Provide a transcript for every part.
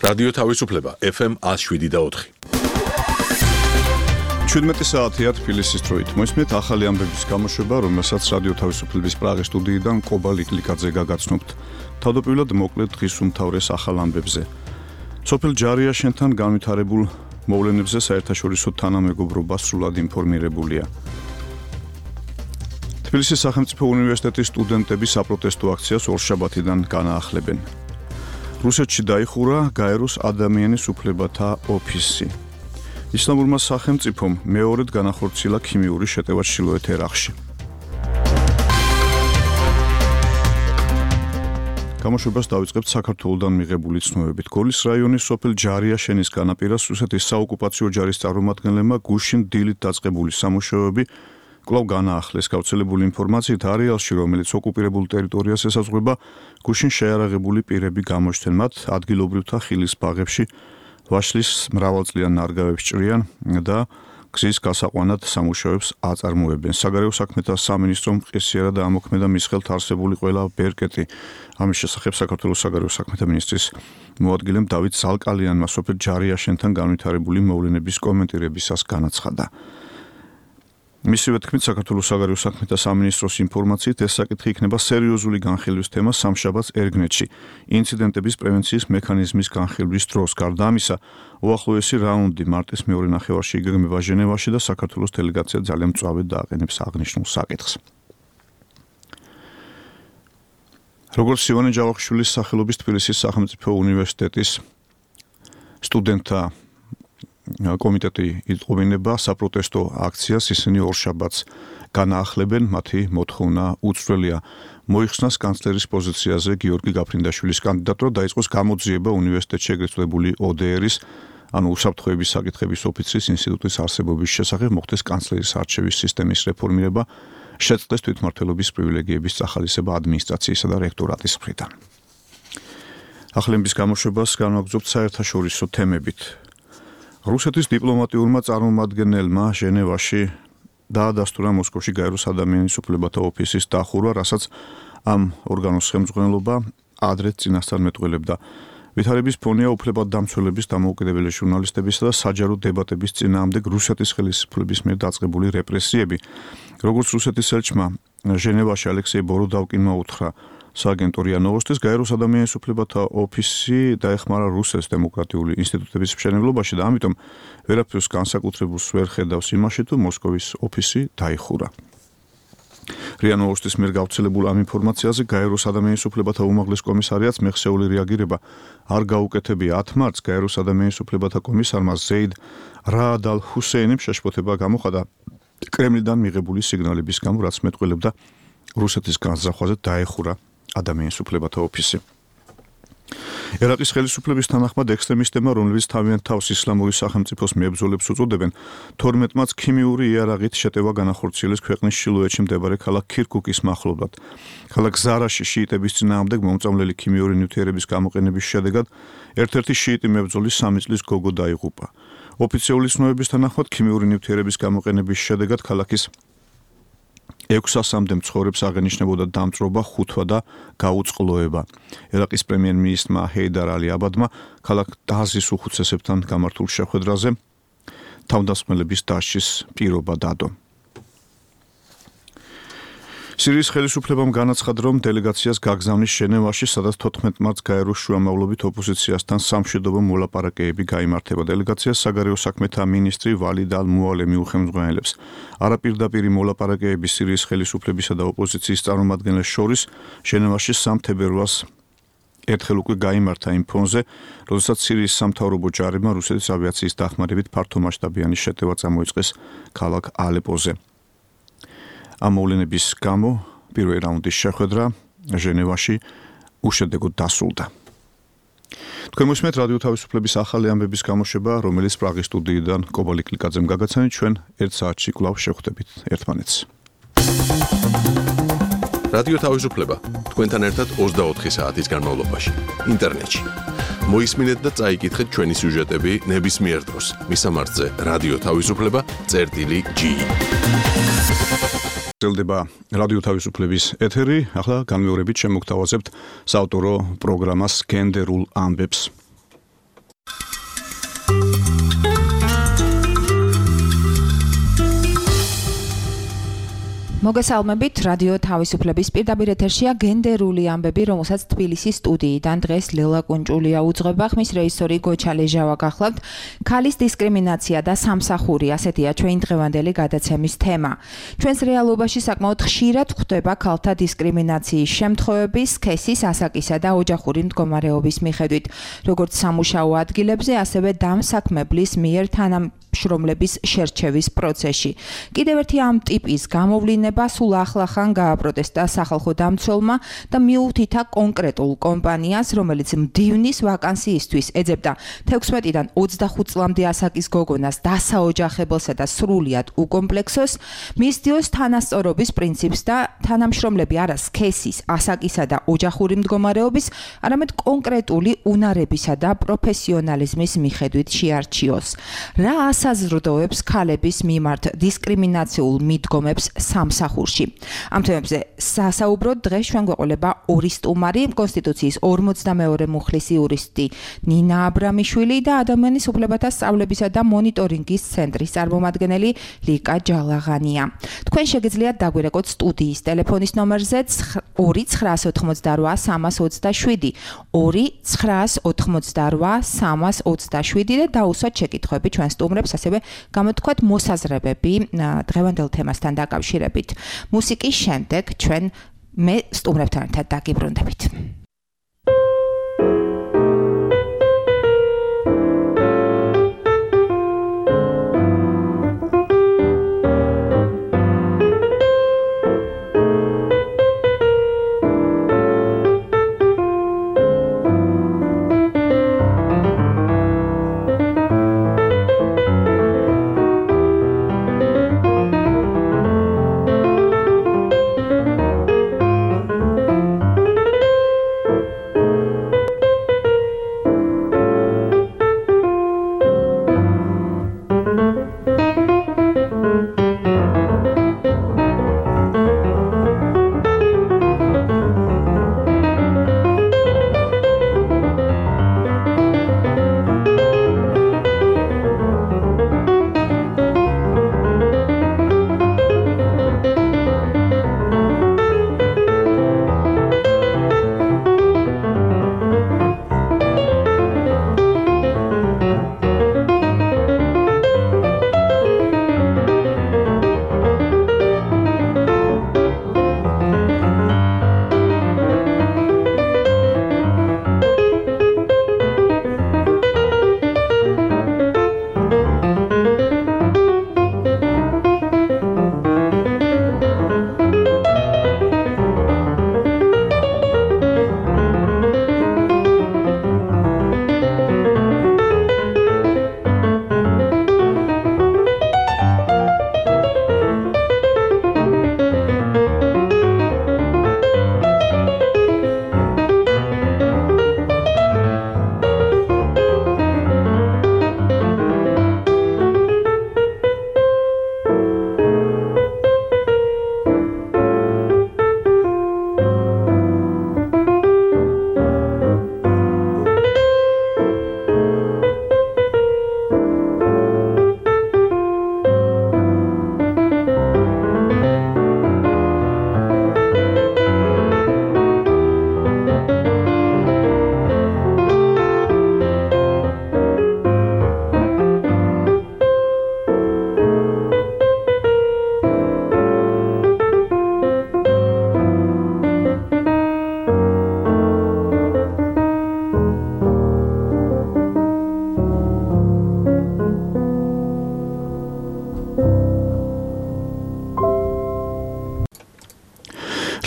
რადიო თავისუფლება FM 107.4. 17 საათია თბილისის დროით. მოისმენთ ახალი ამბების გამოშვება, რომელსაც რადიო თავისუფლების პრაღის სტუდიიდან კობა ლიკლიკაძე გაგაცნობთ. თავდაპირველად მოკლედ დღის უმთავრეს ახალ ამბებზე. სოფელ ჯარიაშენთან განვითარებულ მოვლენებზე საერთაშორისო თანამეგობრობა სრულად ინფორმირებულია. თბილისის სახელმწიფო უნივერსიტეტის სტუდენტები საპროტესტო აქციას ორშაბათიდან განაახლებენ. რუსეთში დაიხურა გაეროს ადამიანის უფლებათა ოფისი. ისლამურმა სახელმწიფომ მეორედ განახორციელა ქიმიური შეტევა ჩრდილოეთ ერაყში. გამოშვებას დავიწყებთ საქართველოდან მიღებული ცნობებით. გოლის რაიონის სოფელ ჯარიაშენის განაპირას რუსეთის საოკუპაციო ჯარის წარმომადგენლებმა გუშინ დილით დაწყებული სამუშაოები კვლავ განაახლეს. გავრცელებული ინფორმაციით არეალში, რომელიც ოკუპირებულ ტერიტორიას ესაზღვრება, გუშინ შეარაღებული პირები გამოჩნდნენ. მათ ადგილობრივთა ხილის ბაღებში ვაშლის მრავალწლიან ნარგავებს ჭრიან და გზის გასაყვანად სამუშაოებს აწარმოებენ. საგარეო საქმეთა სამინისტრომ მყისიერად ამოქმედა მის ხელთ არსებული ყველა ბერკეტი. ამის შესახებ საქართველოს საგარეო საქმეთა მინისტრის მოადგილემ დავით ზალკალიანმა სოფელ ჯარიაშენთან განვითარებული მოვლენების კომენტირებისას განაცხადა. მისივე თქმით, საქართველოს საგარეო საქმეთა სამინისტროს ინფორმაციით ეს საკითხი იქნება სერიოზული განხილვის თემა სამშაბათს ერგნეთში, ინციდენტების პრევენციის მექანიზმის განხილვის დროს. გარდა ამისა, უახლოესი რაუნდი მარტის მეორე ნახევარში იგეგმება ჟენევაში და საქართველოს დელეგაცია ძალიან მწვავედ დააყენებს აღნიშნულ საკითხს. როგორც ივანე ჯავახიშვილის სახელობის თბილისის სახელმწიფო უნივერსიტეტის სტუდენტთა კომიტეტი იტყობინება საპროტესტო აქციას, ისინი ორშაბათს განაახლებენ. მათი მოთხოვნა უცვლელია. მოიხსნას კანცლერის პოზიციაზე გიორგი გაფრინდაშვილის კანდიდატურა, დაიწყოს გამოძიება უნივერსიტეტში ეგრეთ წოდებული ODR-ის, ანუ უსაფრთხოების საკითხების ოფიცრის ინსტიტუტის არსებობის შესახებ, მოხდეს კანცლერის არჩევის სისტემის რეფორმირება, შეწყდეს თვითმმართველობის პრივილეგიების წახალისება ადმინისტრაციისა და რექტორატის მხრიდან. ახალების გამოშვებას განვაგრძობთ საერთაშორისო თემებით. რუსეთის დიპლომატიურმა წარმომადგენელმა ჟენევაში დაადასტურა მოსკოვში გაეროს ადამიანის უფლებათა ოფისის დახურვა, რასაც ამ ორგანოს ხელმძღვანელობა ადრე წინასწარ მეტყველებდა. ვითარების ფონია უფლებადდამცველების, დამოუკიდებელი ჟურნალისტებისა და საჯარო დებატების წინააღმდეგ რუსეთის ხელისუფლების მიერ დაწყებული რეპრესიები. როგორც რუსეთის ელჩმა ჟენევაში ალექსეი ბოროდავკინმა უთხრა სააგენტო რია ნოვოსტის, გაეროს ადამიანის უფლებათა ოფისი დაეხმარა რუსეთის დემოკრატიული ინსტიტუტების მშენებლობაში და ამიტომ ვერაფერს განსაკუთრებულს ვერ ხედავს იმაში, თუ მოსკოვის ოფისი დაიხურა. რია ნოვოსტის მიერ გავრცელებულ ამ ინფორმაციაზე გაეროს ადამიანის უფლებათა უმაღლეს კომისარიატს მეხსეული რეაგირება არ გაუკეთებია. 10 მარტს გაეროს ადამიანის უფლებათა კომისარმა ზეიდ რაად ალ ჰუსეინიმ შეშფოთება გამოხატა კრემლიდან მიღებული სიგნალების გამო, რაც მეტყველებდა რუსეთის განზრახვაზე დაეხურა ადამიანის უფლებათა ოფისი. ერაყის ხელისუფლების თანახმად ექსტრემისტებმა, რომლებიც თავიანთ თავს ისლამური სახელმწიფოს მებრძოლებს უწოდებენ, 12 მარტს ქიმიური იარაღით შეტევა განახორციელეს ქვეყნის ჩრდილოეთში მდებარე ქალაქ ქირკუკის მახლობლად. ქალაქ ზარაში შიიტების წინააღმდეგ მომწამლელი ქიმიური ნივთიერების გამოყენების შედეგად ერთ-ერთი შიიტი მებრძოლის 3 წლის გოგო დაიღუპა. ოფიციალური ცნობების თანახმად ქიმიური ნივთიერების გამოყენების შედეგად ქალაქის 600-მდე მცხოვრებს აღენიშნებოდა დამწვრობა, ხუთვა და გაუწყლოება. ერაყის პრემიერ-მინისტრმა ჰეიდარ ალი აბადმა ქალაქ დაზის უხუცესებთან გამართულ შეხვედრაზე თავდასხმელების დასჯის პირობა დადო. სირიის ხელისუფლებამ განაცხადა, რომ დელეგაციას გაგზავნის ჟენევაში, სადაც 14 მარტს გაეროს შუამავლობით ოპოზიციასთან სამშვიდობო მოლაპარაკებები გაიმართება. დელეგაციას საგარეო საქმეთა მინისტრი ვალიდ ალ მუალემი უხელმძღვანელებს. არაპირდაპირი მოლაპარაკებები სირიის ხელისუფლებისა და ოპოზიციის წარმომადგენლებს შორის ჟენევაში 3 თებერვალს ერთხელ უკვე გაიმართა იმ ფონზე, როდესაც სირიის სამთავრობო ჯარებმა რუსეთის ავიაციის დახმარებით ფართომასშტაბიანი შეტევა წამოიწყეს ქალაქ ალეპოზე. ამ მოვლენების გამო პირველი რაუნდის შეხვედრა ჟენევაში უშედეგოდ დასრულდა. თქვენ მოსმენთ რადიო თავისუფლების ახალი ამბების გამოშვება, რომელიც პრაღის სტუდიიდან კობა ლიკლიკაძემ გაგაცანით. ჩვენ 1 საათში კვლავ შევხვდებით ერთმანეთს. რადიო თავისუფლება თქვენთან ერთად 24 საათის განმავლობაში ინტერნეტში. მოისმინეთ და წაიკითხეთ ჩვენი სიუჟეტები ნებისმიერ დროს. მისამართზე რადიო თავისუფლება.gi. გრძელდება რადიო თავისუფლების ეთერი. ახლა განმეორებით შემოგთავაზებთ საავტორო პროგრამას გენდერულ ამბებს. მოგესალმებით, რადიო თავისუფლების პირდაპირ ეთერშია გენდერული ამბები, რომელსაც თბილისის სტუდიიდან დღეს ლელა კუნჭულია უძღვება, ხმის რეჟისორი გოჩა ლეჟავა გახლავთ. ქალის დისკრიმინაცია და სამსახური, ასეთია ჩვენი დღევანდელი გადაცემის თემა. ჩვენს რეალობაში საკმაოდ ხშირად გვხვდება ქალთა დისკრიმინაციის შემთხვევები სქესის, ასაკისა და ოჯახური მდგომარეობის მიხედვით, როგორც სამუშაო ადგილებზე, ასევე დამსაქმებლის მიერ თანამშრომლების შერჩევის პროცესში. კიდევ ერთი ამ ტიპის გამოვლინება სულ ახლახან გააპროტესტა სახალხო დამცველმა და მიუთითა კონკრეტულ კომპანიას, რომელიც მდივნის ვაკანსიისთვის ეძებდა 16-დან 25 წლამდე ასაკის გოგონას დასაოჯახებელსა და სრულიად უკომპლექსოს, მისდიოს თანასწორობის პრინციპს და თანამშრომლები არა სქესის, ასაკისა და ოჯახური მდგომარეობის, არამედ კონკრეტული უნარებისა და პროფესიონალიზმის მიხედვით შეარჩიოს. რა ასაზრდოებს ქალების მიმართ დისკრიმინაციულ მიდგომებს სამსახურში. ამ თემებზე სასაუბროდ დღეს ჩვენ გვეყოლება ორი სტუმარი, კონსტიტუციის 42 მუხლის იურისტი ნინა აბრამიშვილი და ადამიანის უფლებათა სწავლებისა და მონიტორინგის ცენტრის წარმომადგენელი ლიკა ჯალაღანია. თქვენ შეგიძლიათ დაგვირეკოთ სტუდიის ტელეფონის ნომერზე 2-988-327 2-988-327 და დაუსვათ შეკითხვები ჩვენ სტუმრებს, ასევე გამოთქვათ მოსაზრებები დღევანდელ თემასთან დაკავშირებით. მუსიკის შემდეგ ჩვენ მე სტუმრებთან ერთად დაგიბრუნდებით.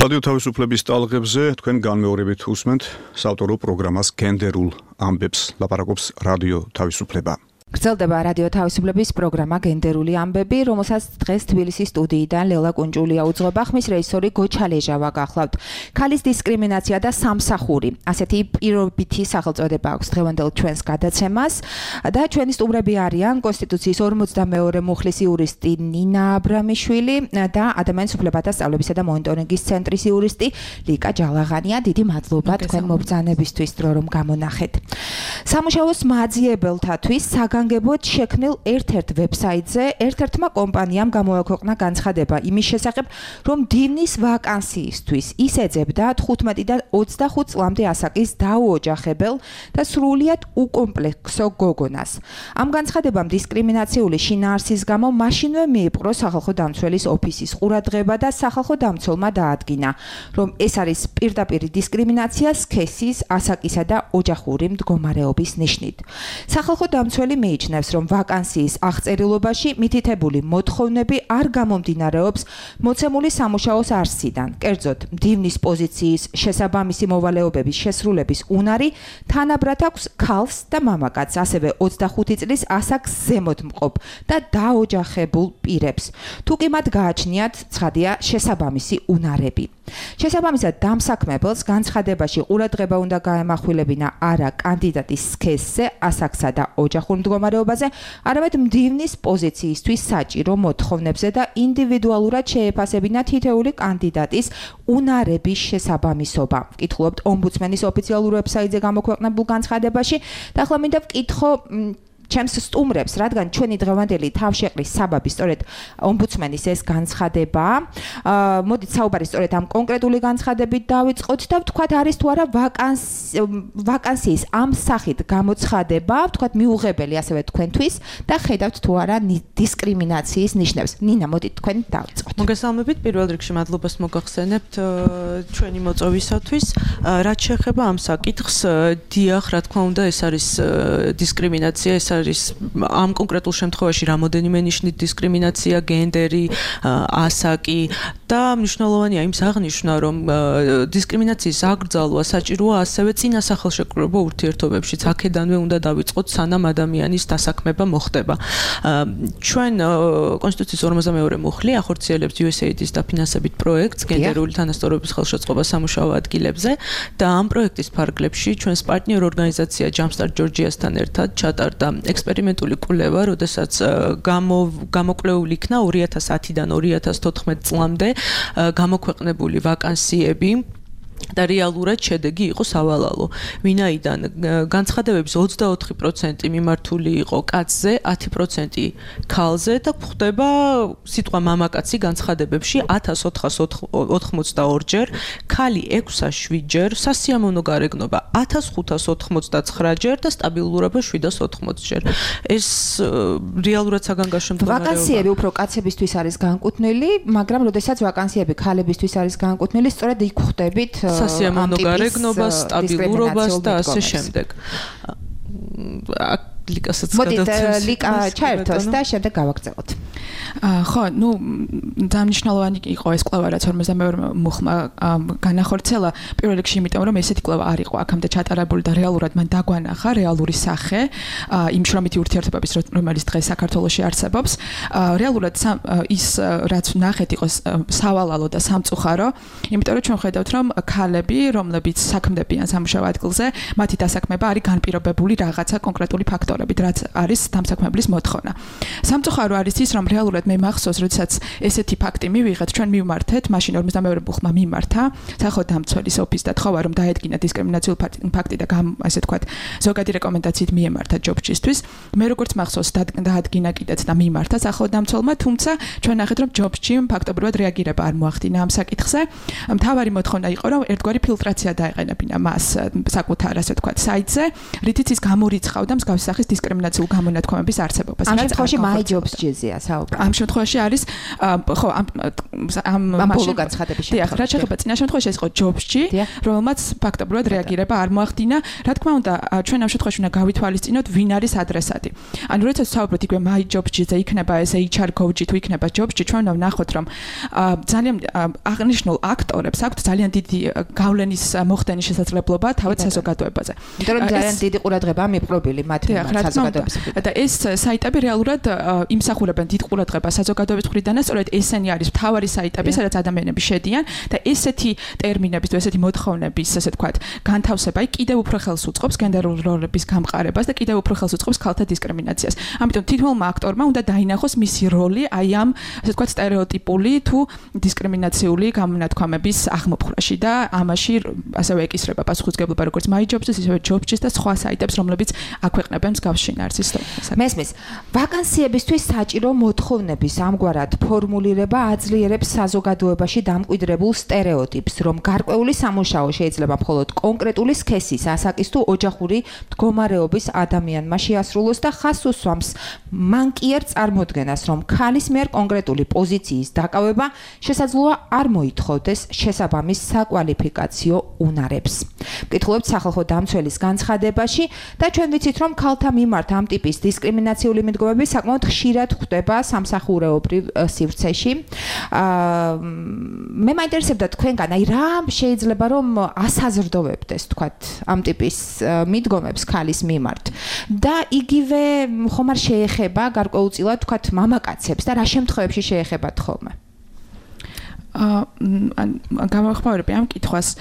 რადიო თავისუფლების ტალღებზე თქვენ განმეორებით უსმენთ საავტორო პროგრამას გენდერულ ამბებს, ლაპარაკობს რადიო თავისუფლება. გრძელდება რადიო თავისუფლების პროგრამა გენდერული ამბები, რომელსაც დღეს თბილისის სტუდიიდან ლელა კუნჭულია უძღვება, ხმის რეჟისორი გოჩა ლეჟავა გახლავთ. ქალის დისკრიმინაცია და სამსახური. ასეთი პირობითი სახელწოდება აქვს დღევანდელ ჩვენს გადაცემას და ჩვენი სტუმრები არიან კონსტიტუციის 42 მუხლის იურისტი ნინა აბრამიშვილი და ადამიანის უფლებათა სწავლებისა და მონიტორინგის ცენტრის იურისტი ლიკა ჯალაღანია. დიდი მადლობა თქვენ მობრძანებისთვის, რომ გამონახეთ. სამუშაოს მაძიებელთათვის საგანგებოდ შექმნილ ერთ-ერთ ვებსაიტზე ერთ-ერთმა კომპანიამ გამოაქვეყნა განცხადება იმის შესახებ, რომ დივნის ვაკანსიისთვის ის ეძებდა 15 და 25 წლამდე ასაკის დაუოჯახებელ და სრულიად უკომპლექსო გოგონას. ამ განცხადებამ დისკრიმინაციული შინაარსის გამო მაშინვე მიიპყრო სახალხო დამცველის ოფისის ყურადღება და სახალხო დამცველმა დაადგინა, რომ ეს არის პირდაპირი დისკრიმინაცია სქესის, ასაკისა და ოჯახური მდგომარეობის ნიშნით. სახალხო დამცველი მიიჩნევს, რომ ვაკანსიის აღწერილობაში მითითებული მოთხოვნები არ გამომდინარეობს მოცემული სამუშაოს არსიდან. კერძოდ, დივნის პოზიციის შესაბამისი მოვალეობების შესრულების უნარი თანაბრად აქვს ქალს და მამაკაცს, ასევე 25 წლის ასაკს ზემოთ მყოფ და დაოჯახებულ პირებს. თუ კი მათ გააჩნიათ, ცხადია, შესაბამისი უნარები. შესაბამისად, დამსაქმებელს განცხადებაში ყურადღება უნდა გაემახვილებინა არა კანდიდატის სქესზე, ასაკსა და ოჯახურ მდგომარეობაზე, არამედ მდივნის პოზიციისთვის საჭირო მოთხოვნებზე და ინდივიდუალურად შეეფასებინა თითეული კანდიდატის უნარების შესაბამისობა. ვკითხულობთ ომბუდსმენის ოფიციალურ ვებსაიტზე გამოქვეყნებულ განცხადებაში და ახლა მინდა ვკითხო ჩემს სტუმრებს, რადგან ჩვენი დღევანდელი თავშეყრის საბაბი სწორედ ომბუდსმენის ეს განცხადება. მოდით საუბარი სწორედ ამ კონკრეტული განცხადებით დავიწყოთ და ვთქვათ, არის თუ არა ვაკანსიის ამ სახით გამოცხადება, ვთქვათ, მიუღებელი ასევე თქვენთვის და ხედავთ თუ არა დისკრიმინაციის ნიშნებს. ნინა, მოდით თქვენ დავიწყოთ. მოგესალმებით, პირველ რიგში მადლობას მოგახსენებთ ჩვენი მოწვევისათვის. რაც შეეხება ამ საკითხს, დიახ, რა თქმა უნდა, ეს არის დისკრიმინაცია, ეს არის ამ კონკრეტულ შემთხვევაში რამოდენიმე ნიშნით დისკრიმინაცია, გენდერი, ასაკი და მნიშვნელოვანია იმის აღნიშვნა, რომ დისკრიმინაციის აკრძალვა საჭიროა ასევე წინა სახელშეკრულებო ურთიერთობებშიც. აქედანვე უნდა დავიწყოთ, სანამ ადამიანის დასაქმება მოხდება. ჩვენ კონსტიტუციის 42 მუხლი ახორციელებს USAID-ის დაფინანსებით პროექტს გენდერული თანასწორობის ხელშეწყობა სამუშაო ადგილებზე და ამ პროექტის ფარგლებში ჩვენს პარტნიორ ორგანიზაცია Jumpstart Georgia-სთან ერთად ჩატარდა ექსპერიმენტული კვლევა, როდესაც გამოკვლეული იქნა 2010-დან 2014 წლამდე გამოქვეყნებული ვაკანსიები და რეალურად შედეგი იყო სავალალო. ვინაიდან განცხადებების 24% მიმართული იყო კაცზე, 10% ქალზე და გვხვდება სიტყვა მამაკაცი განცხადებებში 1482 ჯერ, ქალი 607 ჯერ, სასიამოვნო გარეგნობა 1589 ჯერ და სტაბილურობა 780 ჯერ. ეს რეალურად საგანგაშო მდგომარეობაა. ვაკანსიები უფრო კაცებისთვის არის განკუთვნილი, მაგრამ როდესაც ვაკანსიები ქალებისთვის არის განკუთვნილი, სწორედ იქ ხვდებით სასიამოვნო გარეგნობას, სტაბილურობას და ასე შემდეგ. ლიკასაც გადავწევს. მოდით ლიკა ჩაერთოს და შემდეგ გავაგრძელოთ. ხო, ძალიან მნიშვნელოვანი იყო ეს კვლევა, რაც 42 მუხლმა განახორციელა. პირველ რიგში იმიტომ, რომ ესეთი კვლევა არ იყო აქამდე ჩატარებული და რეალურად მან დაგვანახა რეალური სახე იმ შრომითი ურთიერთობების, რომელიც დღეს საქართველოში არსებობს. რეალურად ის რაც ნახეთ იყო სავალალო და სამწუხარო, იმიტომ რომ ჩვენ ხედავთ, რომ ქალები, რომლებიც საქმდებიან სამუშაო ადგილზე, მათი დასაქმება არის განპირობებული რაღაცა კონკრეტული ფაქტორებით, რაც არის დამსაქმებლის მოთხოვნა. სამწუხარო არის ის, რომ რეალურად მე მახსოვს, როდესაც ესეთი ფაქტი მივიღეთ, ჩვენ მივმართეთ, მაშინ 42 მუხლმა მიმართა სახალხო დამცველის ოფისს და თხოვა, რომ დაედგინა დისკრიმინაციული ფაქტი და ასე თქვათ, ზოგადი რეკომენდაციით მიემართა ჯობსჩისთვის. მე როგორც მახსოვს, დაადგინა კიდეც და მიმართა სახალხო დამცველმა, თუმცა ჩვენ ნახეთ, რომ ჯობსჩი ფაქტობრივად რეაგირება არ მოახდინა ამ საკითხზე. მთავარი მოთხოვნა იყო, რომ ერთგვარი ფილტრაცია დაეყენებინა მას საკუთარ, ასე თქვათ, საიტზე, რითიც ის გამორიცხავდა მსგავსი სახის დისკრიმინაციულ გამონათქვამების არსებობას. ამ შემთხვევაში My Jobs-ზეა საუბარი. ამ ამ შემთხვევაში არის ხო ამ ბოლო განცხადების შემთხვევაში რა შეიძლება წინა შემთხვევაში ეს იყო ჯობსში რომელმაც ფაქტობრივად რეაგირება არ მოახდინა რა თქმა უნდა ჩვენ ამ შემთხვევაში უნდა გავითვალისწინოთ ვინ არის ადრესატი ანუ როდესაც ვსაუბრობთ იგივე my jobs-ზე იქნება ეს HR coach-ი თუ იქნება ჯობსში ჩვენ უნდა ვნახოთ რომ ძალიან აღნიშნულ აქტორებს აქვთ ძალიან დიდი გავლენის მოხდენის შესაძლებლობა თავად საზოგადოებაზე იმიტომ რომ ძალიან დიდი ყურადღებაა მიპყრობილი მათ საზოგადოების და ეს საიტები რეალურად იმსახურებენ დიდ ყურადღებას საზოგადოების მხრიდან და სწორედ ესენი არის მთავარი საიტები სადაც ადამიანები შედიან და ესეთი ტერმინების თუ ესეთი მოთხოვნების ასე თქვათ განთავსება კიდევ უფრო ხელს უწყობს გენდერულ როლების გამყარებას და კიდევ უფრო ხელს უწყობს ქალთა დისკრიმინაციას ამიტომ თითოეულმა აქტორმა უნდა დაინახოს მისი როლი აი ამ ასე თქვათ სტერეოტიპული თუ დისკრიმინაციული გამონათქვამების აღმოფხვრაში და ამაში ასევე ეკისრება პასუხისმგებლობა როგორც my jobs-ის ისევე jobs-ის და სხვა საიტებს რომლებიც აქვეყნებენ მსგავს შინაარსის მესმის ვაკანსიებისთვის საჭირო მოთხოვნების ამგვარად ფორმულირება აძლიერებს საზოგადოებაში დამკვიდრებულ სტერეოტიპს რომ გარკვეული სამუშაო შეიძლება მხოლოდ კონკრეტული სქესის ასაკის თუ ოჯახური მდგომარეობის ადამიანმა შეასრულოს და ხაზს უსვამს მან კი არ წარმოდგენას რომ ქალის მიერ კონკრეტული პოზიციის დაკავება შესაძლოა არ მოითხოვდეს შესაბამის საკვალიფიკაციო უნარებს. ვკითხულობთ სახალხო დამცველის განცხადებაში და ჩვენ ვიცით რომ ქალთა მიმართ ამ ტიპის დისკრიმინაციული მიდგომები საკმაოდ ხშირად ხდება სამსახურეობრივ სივრცეში. მე მაინტერესებდა თქვენგან აი რა შეიძლება რომ ასაზრდოვებდეს თქვათ ამ ტიპის მიდგომებს ქალის მიმართ და იგივე ხომ არ შეეხება გარკვეულწილად თქვათ მამაკაცებს და რა შემთხვევებში შეეხებათ ხოლმე გამოვხმაურები ამ კითხვას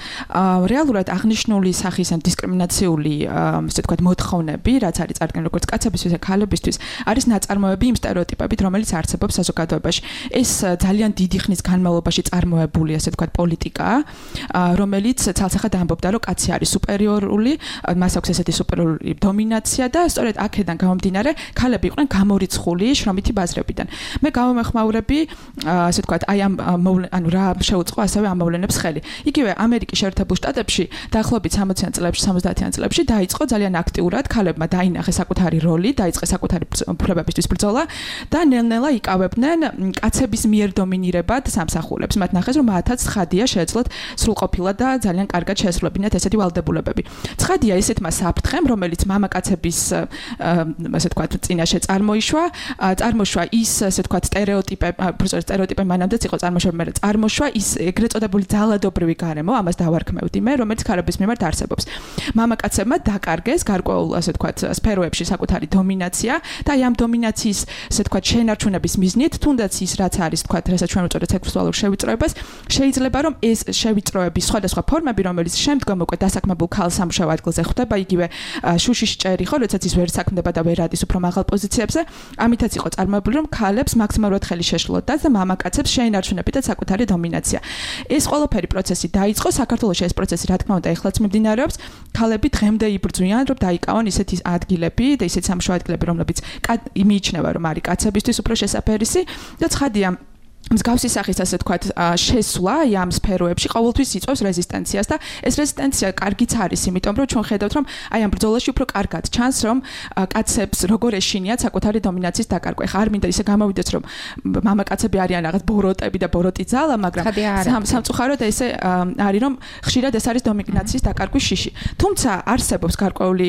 რეალურად აღნიშნული სახის ან დისკრიმინაციული ასე ვთქვათ მოთხოვნები რაც არის წარდგენილი როგორც კაცებისთვის და ქალებისთვის არის ნაწარმოები იმ სტერეოტიპებით რომელიც არსებობს საზოგადოებაში ეს ძალიან დიდი ხნის განმავლობაში წარმოებული ასე ვთქვათ პოლიტიკაა რომელიც ცალსახად ამბობდა რომ კაცი არის სუპერიორული მას აქვს ესეთი სუპერიორული დომინაცია და სწორედ აქედან გამომდინარე ქალები იყვნენ გამორიცხული შრომითი ბაზრებიდან მე გამოვხმაურები ასე ვთქვათ აი ამ რა შეუწყო ასევე ამ მოვლენებს ხელი. იგივე ამერიკის შეერთებულ შტატებში დაახლოებით 60-იან წლებში, 70-იან წლებში დაიწყო ძალიან აქტიურად ქალებმა დაინახეს საკუთარი როლი, დაიწყეს საკუთარი უფლებებისთვის ბრძოლა და ნელ-ნელა იკავებდნენ კაცების მიერ დომინირებად სამსახურებს. მათ ნახეს რომ მათაც ცხადია შეეძლოთ სრულყოფილად და ძალიან კარგად შეესრულებინათ ესეთი ვალდებულებები. ცხადია ესეთმა საფრთხემ, რომელიც მამაკაცების ასე ვთქვათ წინაშე წარმოიშვა ის ასე ვთქვათ სტერეოტიპები მანამდეც იყო წარმოშობილი წარმოშვა ის ეგრეთ წოდებული ძალადობრივი გარემო, ამას დავარქმევდი მე, რომელიც ქალების მიმართ არსებობს. მამაკაცებმა დაკარგეს გარკვეულ, ასე ვთქვათ, სფეროებში საკუთარი დომინაცია და აი ამ დომინაციის, ასე ვთქვათ, შენარჩუნების მიზნით, თუნდაც ის რაც არის, ვთქვათ, რასაც ჩვენ ვუწოდეთ სექსუალურ შევიწროებას, შეიძლება რომ ეს შევიწროების სხვადასხვა ფორმები, რომელიც შემდგომ უკვე დასაქმებულ ქალ სამუშაო ადგილზე ხვდება, იგივე შუშიში ჭერი ხო, როდესაც ის ვერ საქმდება და ვერ ადის უფრო მაღალ პოზიციებზე, ამითაც იყო წარმოებული, რომ ქალებს მაქსიმალურად ხელი შეშლოდათ და მამაკაცებს შეინარჩუნებინათ საკუთარი დომინაცია. ეს ყველაფერი პროცესი დაიწყო საქართველოში ეს პროცესი რა თქმა უნდა ეხლაც მიმდინარეობს. ქალები დღემდე იბრძვიან რომ დაიკავონ ისეთი ადგილები და ისეთი სამუშაო ადგილები რომლებიც იმიჩნევა რომ არის კაცებისთვის უფრო შესაფერისი და ცხადია მსგავსი სახის ასე ვთქვათ შესვლა ამ სფეროებში ყოველთვის იწვევს რეზისტენციას და ეს რეზისტენცია კარგიც არის იმიტომ რომ ჩვენ ხედავთ რომ აი ამ ბრძოლაში უფრო კარგად ჩანს რომ კაცებს როგორ ეშინიათ საკუთარი დომინაციის დაკარგვა. ხა არ მინდა ისე გამოვიდეთ რომ მამაკაცები არიან რაღაც ბოროტები და ბოროტი ძალა, მაგრამ სამწუხაროდ ესე არის რომ ხშირად ეს არის დომინაციის დაკარგვის შიში. თუმცა არსებობს გარკვეული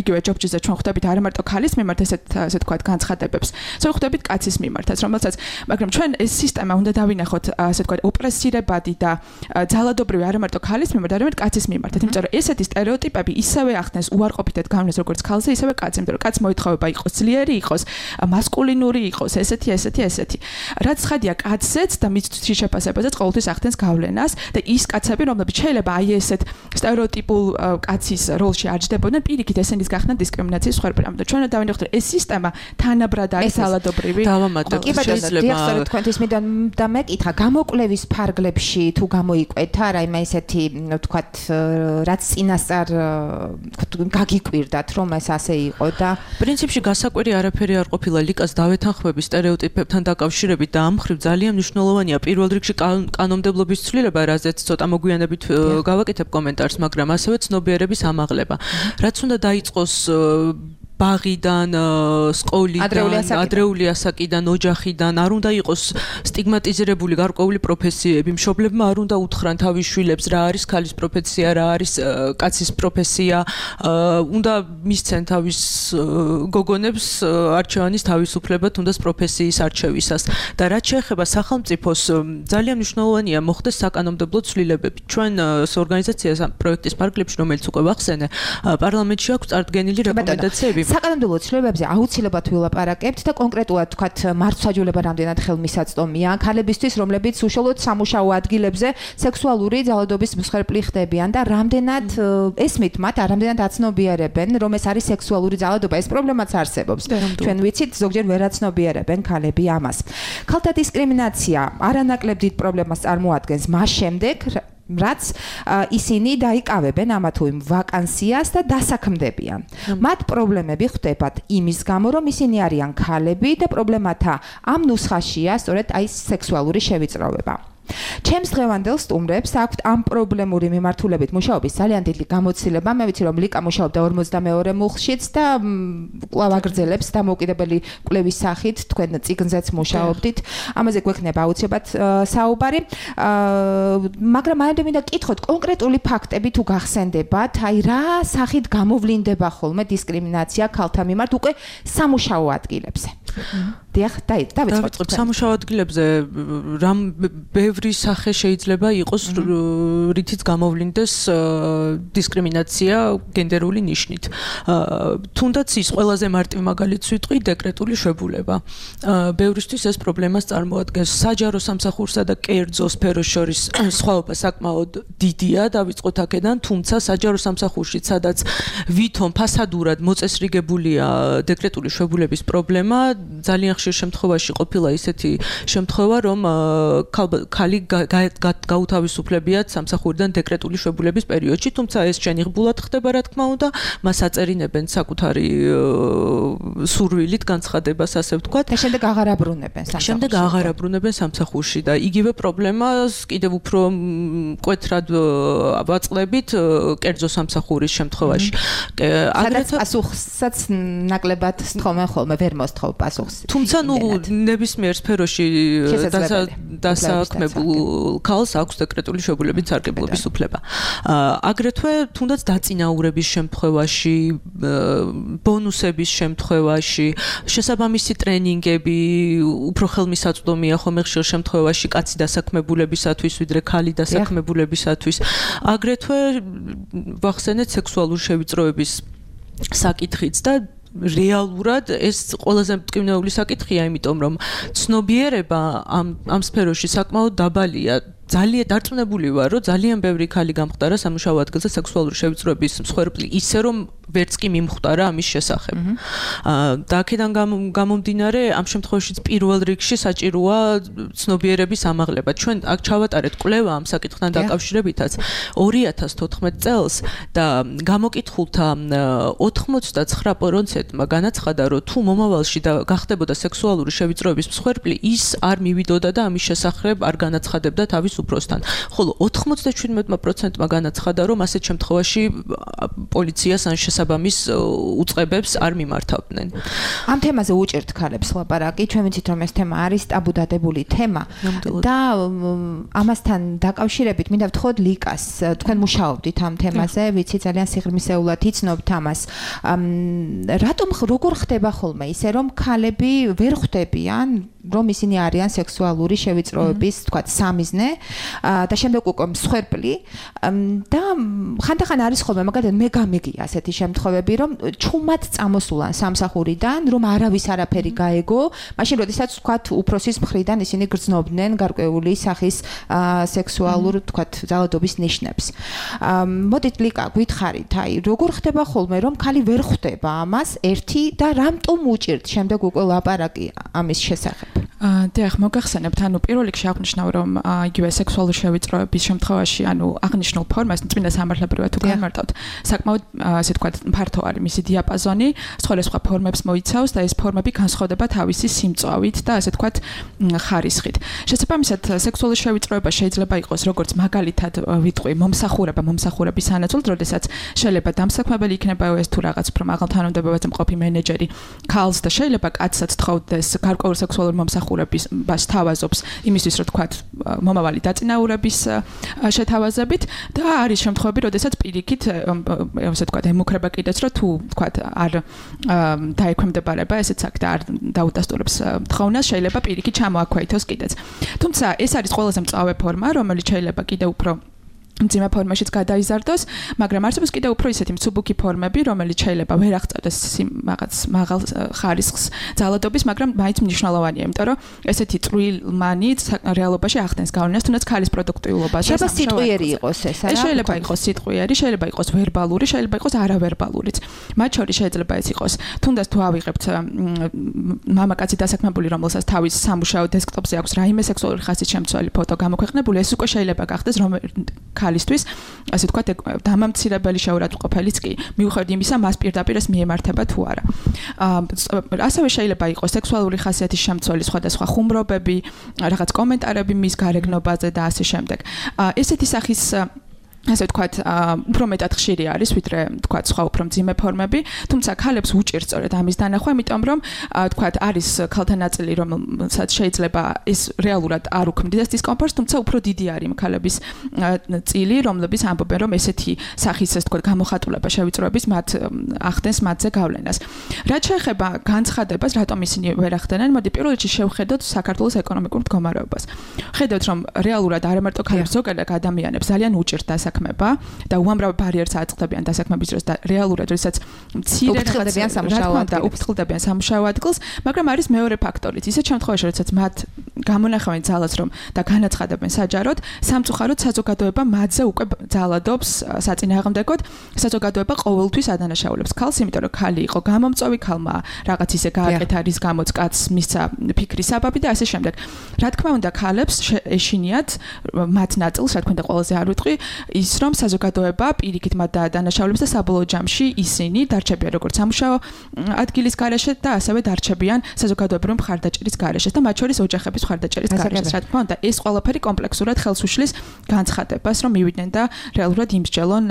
იგივე ჯობჭიზე ჩვენ ხვდებით არა მარტო ქალის მიმართ ესე ვთქვათ განცხადებებს, სწორედ ხვდებით კაცის მიმართაც, რომელსაც მაგრამ ჩვენ ეს სისტემა უნდა დავინახოთ ასე ვთქვათ ოპრესირებადი და ძალადობრივი არა მარტო ქალის მიმართ, არამედ კაცის მიმართაც. იმიტომ რომ ესეთი სტერეოტიპები ისევე ახდენს უარყოფითად გავლენას როგორც ქალზე, ისევე კაცზე. იმიტომ რომ კაც მოითხოვება იყოს ძლიერი, იყოს მასკულინური, იყოს ესეთი. რაც ცხადია კაცზეც და მის შეფასებაზეც ყოველთვის ახდენს გავლენას და ის კაცები, რომლებიც შეიძლება აი ესეთ სტერეოტიპულ კაცის როლში აჯდებოდნენ, პირიქით ესენის გახსნა დისკრიმინაციის მსხვერპლი. ამიტომ ჩვენ დავინახოთ ეს სისტემა თანაბრად არის ძალადობრივი. დავამატებ შეიძლება თქვენთვის მინდა და მეკითხა გამოკვლევის ფარგლებში თუ გამოიკვეთა რა იმ ესეთი ვთქვათ რაც წინასწარ გაგიკვირდათ რომ ეს ასე იყო და პრინციპში გასაკვირი არაფერი არ ყოფილა ლიკას დავეთანხმების სტერეოტიპებთან დაკავშირებით და ამ მხრივ ძალიან მნიშვნელოვანია პირველ რიგში კანონმდებლობის ცვლილება, რაზეც ცოტა მოგვიანებით გავაკეთებ კომენტარს, მაგრამ ასევე ცნობიერების ამაღლება. რაც უნდა დაიწყოს ბაღიდან, სკოლიდან, ადრეული ასაკიდან, ოჯახიდან არ უნდა იყოს სტიგმატიზირებული გარკვეული პროფესიები, მშობლებმა არ უნდა უთხრან თავის შვილებს რა არის ქალის პროფესია, რა არის კაცის პროფესია, უნდა მისცენ თავის გოგონებს არჩევანის თავისუფლება თუნდაც პროფესიის არჩევისას და რაც შეეხება სახელმწიფოს ძალიან მნიშვნელოვანია მოხდეს საკანონმდებლო ცვლილებები. ჩვენ ორგანიზაციას პროექტის ფარგლებში, რომელიც უკვე ვახსენე, პარლამენტში აქვს წარდგენილი რეკომენდაციები. საკანონმდებლო ცვლილებებზე აუცილებლად ვილაპარაკებთ და კონკრეტულად თქვათ მართლმსაჯულება რამდენად ხელმისაწვდომია ქალებისთვის, რომლებიც უშუალოდ სამუშაო ადგილებზე სექსუალური ძალადობის მსხვერპლი ხდებიან და რამდენად ესმით მათ, რამდენად აცნობიერებენ, რომ ეს არის სექსუალური ძალადობა, ეს პრობლემაც არსებობს. ჩვენ ვიცით, ზოგჯერ ვერ აცნობიერებენ ქალები ამას. ქალთა დისკრიმინაცია არანაკლებ დიდ პრობლემას წარმოადგენს მას შემდეგ, რაც ისინი დაიკავებენ ამა თუ იმ ვაკანსიას და დასაქმდებიან. მათ პრობლემები ხდებათ იმის გამო, რომ ისინი არიან ქალები და პრობლემათა ამ ნუსხაშია სწორედ აი სექსუალური შევიწროვება. ჩემს დღევანდელ სტუმრებს აქვთ ამ პრობლემური მიმართულებით მუშაობის ძალიან დიდი გამოცდილება. მე ვიცი, რომ ლიკა მუშაობდა 42 მუხლშიც და კვლავ აგრძელებს დამოუკიდებელი კვლევის სახით, თქვენ წიგნზეც მუშაობდით. ამაზე გვექნება აუცილებლად საუბარი. მაგრამ მანამდე მინდა გკითხოთ კონკრეტული ფაქტები თუ გახსენდებათ, აი რა სახით გამოვლინდება ხოლმე დისკრიმინაცია ქალთა მიმართ უკვე სამუშაო ადგილებზე. დიახ, დავიწყოთ. სამუშაო ადგილებზე რამ ბევრი სახე შეიძლება იყოს, რითიც გამოვლინდეს დისკრიმინაცია გენდერული ნიშნით. თუნდაც ის ყველაზე მარტივ მაგალითს ვიტყვი დეკრეტული შებულება. ბევრისთვის ეს პრობლემას წარმოადგენს. საჯარო სამსახურსა და კერძო სფეროს შორის სხვაობა საკმაოდ დიდია, დავიწყოთ აქედან, თუმცა საჯარო სამსახურში, სადაც ვითომ ფასადურად მოწესრიგებულია დეკრეტული შებულების პრობლემა, ძალიან ხშირ შემთხვევაში ყოფილა ისეთი შემთხვევა, რომ ქალი გაუთავისუფლებიათ სამსახურიდან დეკრეტული შებულების პერიოდში, თუმცა ეს შენიღბულად ხდება, რა თქმა უნდა, მას აწერინებენ საკუთარი სურვილით განცხადებას, ასე ვთქვათ. და შემდეგ აღარ აბრუნებენ სამსახურში. შემდეგ აღარ აბრუნებენ სამსახურში და იგივე პრობლემას კიდევ უფრო მკვეთრად ვაწყდებით კერძო სამსახურის შემთხვევაში. სადაც პასუხსაც ნაკლებად სთხოვენ ხოლმე, ვერ მოსთხოვ პასუხს. თუმცა ნებისმიერ სფეროში დასაქმებულ ქალს აქვს დეკრეტული შებულების სარგებლობის უფლება. აგრეთვე თუნდაც დაწინაურების შემთხვევაში, ბონუსების შემთხვევაში, შესაბამისი ტრენინგები უფრო ხელმისაწვდომია ხოლმე ხშირ შემთხვევაში კაცი დასაქმებულებისათვის, ვიდრე ქალი დასაქმებულებისათვის. აგრეთვე ვახსენეთ სექსუალური შევიწროების საკითხიც და რეალურად ეს ყველაზე მტკივნეული საკითხია, იმიტომ რომ ცნობიერება ამ სფეროში საკმაოდ დაბალია. ძალიან დარწმუნებული ვარ, რომ ძალიან ბევრი ქალი გამხდარა სამუშაო ადგილზე სექსუალური შევიწროების მსხვერპლი, ისე რომ ვერც კი მიმხვდარა ამის შესახებ. და აქედან გამომდინარე, ამ შემთხვევაშიც პირველ რიგში საჭიროა ცნობიერების ამაღლება. ჩვენ აქ ჩავატარეთ კვლევა ამ საკითხთან დაკავშირებითაც 2014 წელს და გამოკითხულთა 89%-მა განაცხადა, რომ თუ მომავალში გახდებოდა სექსუალური შევიწროების მსხვერპლი, ის არ მივიდოდა და ამის შესახებ არ განაცხადებდა თავის უფროსთან. ხოლო 97%-მა განაცხადა, რომ ასეთ შემთხვევაში პოლიციას ან შესაბამის უწყებებს არ მიმართავდნენ. ამ თემაზე უჭერთ ქალებს ლაპარაკი. ჩვენ ვიცით, რომ ეს თემა არის ტაბუდადებული თემა და ამასთან დაკავშირებით მინდა ვთხოვოთ ლიკას. თქვენ მუშაობდით ამ თემაზე, ვიცი ძალიან სიღრმისეულად იცნობთ ამას. რატომ როგორ ხდება ხოლმე ისე, რომ ქალები ვერ ხვდებიან, რომ ისინი არიან სექსუალური შევიწროების, თქვათ, სამიზნე და შემდეგ უკვე მსხვერპლი და ხანდახან არის ხოლმე მაგალითად მე გამიგია ასეთი შემთხვევები, რომ ჩუმად წამოსულან სამსახურიდან, რომ არავის არაფერი გაეგო, მაშინ როდესაც თქვათ უფროსის მხრიდან ისინი გრძნობდნენ გარკვეული სახის სექსუალურ, თქვათ, ძალადობის ნიშნებს. მოდით ლიკა, გითხარით, აი, როგორ ხდება ხოლმე, რომ ქალი ვერ ხვდება ამას ერთი და რამტომ უჭირთ შემდეგ უკვე ლაპარაკი ამის შესახებ? დიახ, მოგახსენებთ, პირველ რიგში აღნიშნავ, რომ იგივე სექსუალური შევიწროების შემთხვევაში, აღნიშნულ ფორმას წმინდა სამართლებრივად თუ განმარტავთ, საკმაოდ ასე ვთქვათ, ფართო არის მისი დიაპაზონი, სხვადასხვა ფორმებს მოიცავს და ეს ფორმები განსხვავდება თავისი სიმწვავით და ასე ვთქვათ, ხარისხით. შესაბამისად, სექსუალური შევიწროება შეიძლება იყოს როგორც მაგალითად ვიტყვი მომსახურების სანაცვლოდ, როდესაც შეიძლება დამსაქმებელი იქნება ეს თუ რაღაც უფრო მაღალ თანამდებობაზე მყოფი მენეჯერი ქალს და შეიძლება კაცსაც თხოვდეს გარკვეულ სექსუალურ მომსახურებას თავაზობს იმისთვის, რომ თქვათ, მომავალი დაწინაურების შეთავაზებით და არის შემთხვევები, როდესაც პირიქით, ასე ვთქვათ, ემუქრება კიდეც, რომ თუ თქვათ, არ დაექვემდებარება ესეც აქ და არ დაუდასტურებს თხოვნას, შეიძლება პირიქით ჩამოაქვეითოს კიდეც. თუმცა ეს არის ყველაზე მწვავე ფორმა, რომელიც შეიძლება კიდევ უფრო მძიმე ფორმაშიც გადაიზარდოს, მაგრამ არსებობს კიდევ უფრო ისეთი მსუბუქი ფორმები, რომელიც შეიძლება ვერ აღწევდეს რაღაც მაღალ ხარისხს ძალადობის, მაგრამ მაინც მნიშვნელოვანია, იმიტომ რომ ესეთი წვრილმანი რეალობაში ახდენს გავლენას, თუნდაც ქალის პროდუქტიულობაზე. შეიძლება სიტყვიერი იყოს ეს, არა? შეიძლება იყოს სიტყვიერი, შეიძლება იყოს ვერბალური, შეიძლება იყოს არავერბალურიც. მათ შორის შეიძლება ეს იყოს, თუნდაც თუ ავიღებთ მამაკაცი დასაქმებული, რომელსაც თავის სამუშაო დესკტოპზე აქვს რაიმე სექსუალური ხასის შემცველი ფოტო გამოქვეყნებული, ეს უკვე შეიძლება გახდეს ქალისთვის, ასე ვთქვათ, დამამცირებელი შეურაცხყოფელიც კი, მიუხედავად იმისა, მას პირდაპირ ეს მიემართება თუ არა. ასევე შეიძლება იყოს სექსუალური ხასიათის შემცველი სხვადასხვა ხუმრობები, რაღაც კომენტარები მის გარეგნობაზე და ასე შემდეგ. ესეთი სახის ასე ვთქვათ, უფრო მეტად ხშირი არის, ვიდრე ვთქვათ, სხვა უფრო მძიმე ფორმები, თუმცა ქალებს უჭირს სწორედ ამის დანახვა, იმიტომ რომ ვთქვათ, არის ქალთა ნაწილი, რომელსაც შეიძლება ეს რეალურად არ უქმნიდეს დისკომფორტს, თუმცა უფრო დიდი არის ქალების წილი, რომლების ამბობენ, რომ ესეთი სახის, ასე ვთქვათ, გამოხატულება შევიწროების მათ ახდენს მათზე გავლენას. რაც შეეხება განცხადებას, რატომ ისინი ვერ ახდენენ, მოდი პირველ რიგში შევხედოთ საქართველოს ეკონომიკურ მდგომარეობას. ხედავთ, რომ რეალურად არ მარტო ქალებს, ზოგადად ადამიანებს ძალიან უჭირს დასაქმება და უამრავ ბარიერს აწყდებიან დასაქმების დროს და რეალურად, როდესაც მცირე უფრთხილდებიან სამუშაო ადგილს, მაგრამ არის მეორე ფაქტორიც. ისეთ შემთხვევაში, როდესაც მათ გამონახავენ ძალას რომ და განაცხადებენ საჯაროდ, სამწუხაროდ საზოგადოება მათზე უკვე ძალადობს საწინააღმდეგოდ, საზოგადოება ყოველთვის ადანაშაულებს ქალს, იმიტომ რომ ქალი იყო გამომწვევი, ქალმა რაღაც ისე გააკეთა, რის გამოც კაცს მისცა ფიქრის საბაბი და ასე შემდეგ. რა თქმა უნდა, ქალებს ეშინიათ მათ ნაწილს, რა თქმა უნდა, ყველაზე არ ვიტყვი, ის რომ საზოგადოება პირიქით მათ დაადანაშაულებს და საბოლოო ჯამში ისინი დარჩებიან როგორც სამუშაო ადგილის გარეშე და ასევე დარჩებიან საზოგადოებრივი მხარდაჭერის გარეშე და მათ შორის ოჯახების მხარდაჭერის გარეშე. რა თქმა უნდა, ეს ყველაფერი კომპლექსურად ხელს უშლის განცხადებას, რომ მივიდნენ და რეალურად იმსჯელონ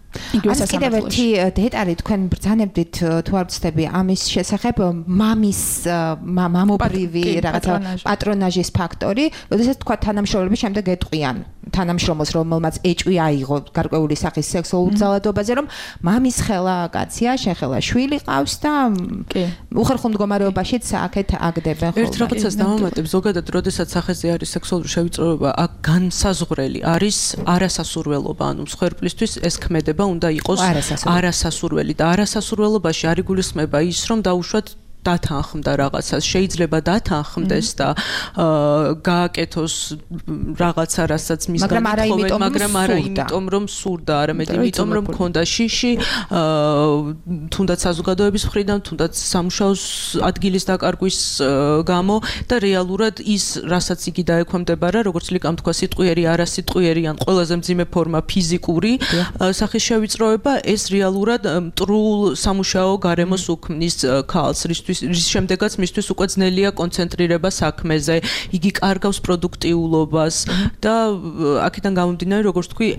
ეს კიდევ ერთი დეტალი თქვენ ბრძანებდით თუ არ ვცდები ამის შესახებ მამობრივი რაღაცა პატრონაჟის ფაქტორი, როდესაც თქვა თანამშრომლები შემდეგ ეტყვიან თანამშრომელს, რომელმაც ეჭვი აიღო გარკვეული სახის სექსუალურ ძალადობაზე, რომ მამის ხელა კაცია, შეხელა შვილი ყავს და უხერხულ მდგომარეობაშიც აქეთ აგდებენ ხოლმე. ერთ რაღაცას დავამატებ, ზოგადად, როდესაც სახეზე არის სექსუალური შევიწროება, აქ განსაზღვრელი არის არასასურველობა, ანუ მსხვერპლისთვის ეს ქმედება უნდა იყოს არასასურველი და არასასურველობაში არ იგულისხმება ის, რომ დაუშვათ დათანხმდა რაღაცას, შეიძლება დათანხმდეს და გააკეთოს რაღაცა, რასაც მისგან ითხოვენ, მაგრამ არა იმიტომ, რომ სურდა, არამედ იმიტომ, რომ მქონდა შიში, თუნდაც საზოგადოების მხრიდან, თუნდაც სამუშაოს ადგილის დაკარგვის გამო და რეალურად ის, რასაც იგი დაექვემდებარა, როგორც ლიკამ თქვა, სიტყვიერი, არასიტყვიერი ან ყველაზე მძიმე ფორმა ფიზიკური სახის შევიწროება, ეს რეალურად მტრულ სამუშაო გარემოს უქმნის ქალს, რის შემდეგაც მისთვის უკვე ძნელია კონცენტრირება საქმეზე, იგი კარგავს პროდუქტიულობას და აქედან გამომდინარე, როგორც თქვი,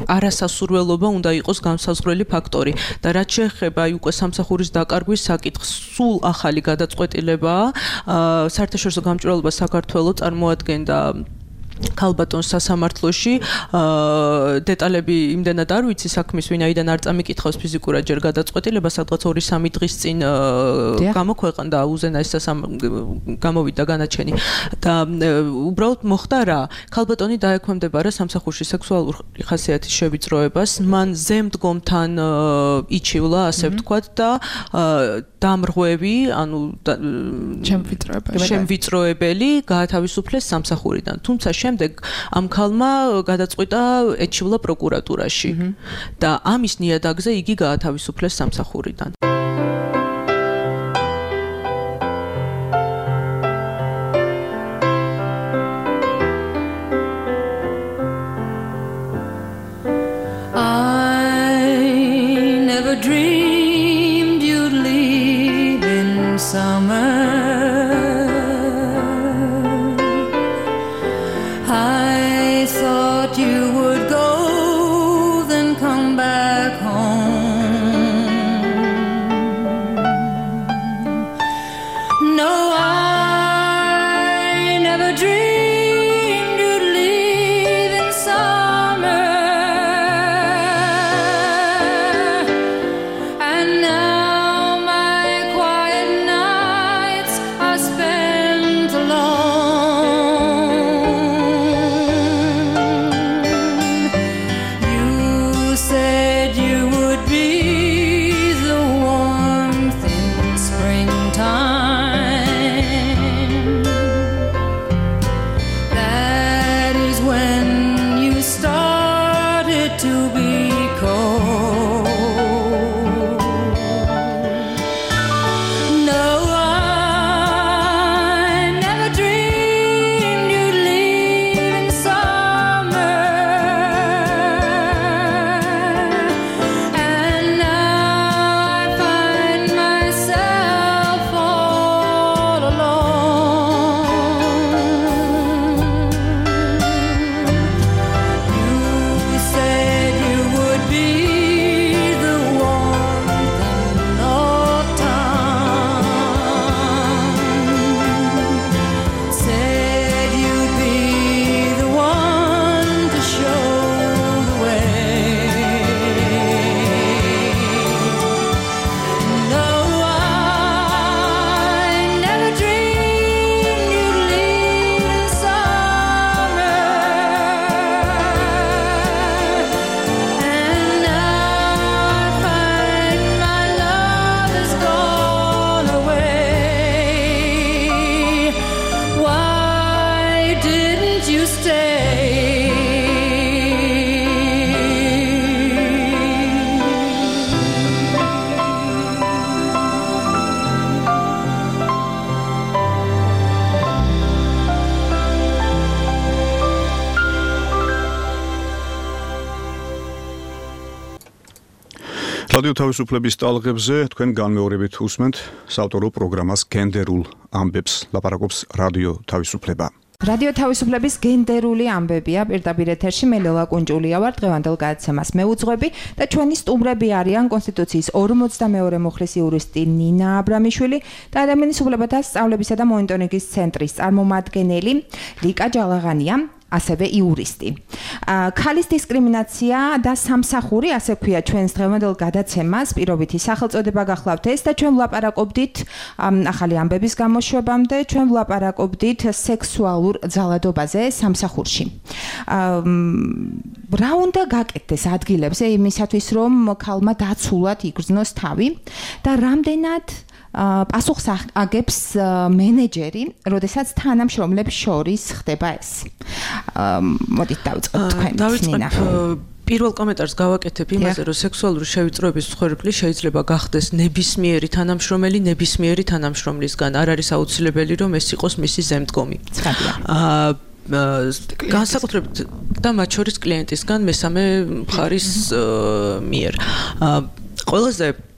არასასურველობა უნდა იყოს განსაზღვრელი ფაქტორი და რაც შეეხება უკვე სამსახურის დაკარგვის საკითხს, სულ ახალი გადაწყვეტილებაა. საერთაშორისო გამჭვირვალობა საქართველოს წარმოადგენდა ქალბატონს სასამართლოში, დეტალები იმდენად არ ვიცი საქმის, ვინაიდან არ წამიკითხავს ფიზიკურად ჯერ გადაწყვეტილება, სადღაც 2-3 დღის წინ გამოქვეყნდა უზენა ეს გამოვიდა განაჩენი და უბრალოდ მოხდა რა, ქალბატონი დაექვემდებარა სამსახურში სექსუალური ხასიათის შევიწროებას, მან ზემდგომთან იჩივლა, ასე ვთქვათ და დამრღვევი, ანუ შემვიწროებელი გაათავისუფლეს სამსახურიდან. თუმცა შემდეგ ამ ქალმა გადაწყვიტა ეჩივლა პროკურატურაში და ამის ნიადაგზე იგი გაათავისუფლეს სამსახურიდან. thought you would go, then come back home. No, I never dreamed you'd leave in summer, and now my quiet nights are spent alone. You said you would be the warmth in springtime. That is when you started to be cold. No, I never dreamed you'd leave in summer, and now I find myself all alone. You said you would be the warmth in autumn. Said you'd be the one to show the way. No, I never dreamed you'd leave in summer, and now I find my love has gone away. Why didn't you stay? რადიო თავისუფლების ტალღებზე თქვენ განმეორებით უსმენთ საავტორო პროგრამას გენდერულ ამბებს, ლაპარაკობს რადიო თავისუფლება. რადიო თავისუფლების გენდერული ამბებია პირდაპირ ეთერში მე ლელა კუნჭულია ვარ დღევანდელ გადაცემას მეუძღვები და ჩვენი სტუმრები არიან კონსტიტუციის 42 მუხლის იურისტი ნინა აბრამიშვილი და ადამიანის უფლებათა სწავლებისა და მონიტორინგის ცენტრის წარმომადგენელი ლიკა ჯალაღანია ასევე იურისტი. ქალის დისკრიმინაცია და სამსახური, ასე ქვია ჩვენს დღევანდელ გადაცემას, პირობითი სახელწოდება გახლავთ ეს და ჩვენ ვლაპარაკობდით ახალი ამბების გამოშვებამდე, ჩვენ ვლაპარაკობდით სექსუალურ ძალადობაზე სამსახურში. რა უნდა გაკეთდეს ადგილებზე იმისათვის, რომ ქალმა დაცულად იგრძნოს თავი და რამდენად პასუხს აგებს მენეჯერი, როდესაც თანამშრომლებს შორის ხდება ეს. მოდით დავიწყოთ თქვენ. დავიწყებ პირველ კომენტარს გავაკეთებ იმაზე, რომ სექსუალური შევიწროების მსხვერპლი შეიძლება გახდეს ნებისმიერი თანამშრომელი, ნებისმიერი თანამშრომლისგან. არ არის აუცილებელი, რომ ეს იყოს მისი ზემდგომი. განსაკუთრებით და მათ შორის კლიენტისგან მესამე მხარის მიერ. ყველაზე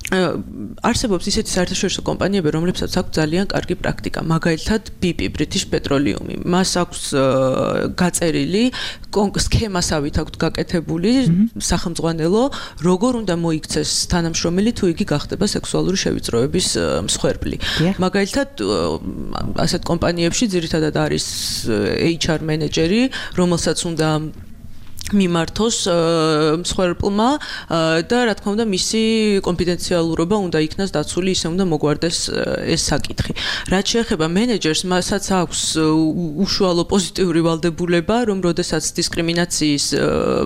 არსებობს ისეთი საერთაშორისო კომპანიები, რომლებსაც აქვს ძალიან კარგი პრაქტიკა, მაგალითად BP British Petroleum. მას აქვს გაწერილი სქემასავით აქვს გაკეთებული სახელმწიფო, როგორ უნდა მოიქცეს თანამშრომელი თუ იგი გახდება სექსუალური შევიწროების მსხვერპლი. მაგალითად, ასეთ კომპანიებში ძირითადად არის HR მენეჯერი, რომელსაც უნდა მიმართოს მსხვერპლმა და რა თქმა უნდა მისი კონფიდენციალურობა უნდა იქნას დაცული, ისე უნდა მოგვარდეს ეს საკითხი. რაც შეეხება მენეჯერს, მასაც აქვს უშუალო პოზიტიური ვალდებულება, რომ როდესაც დისკრიმინაციის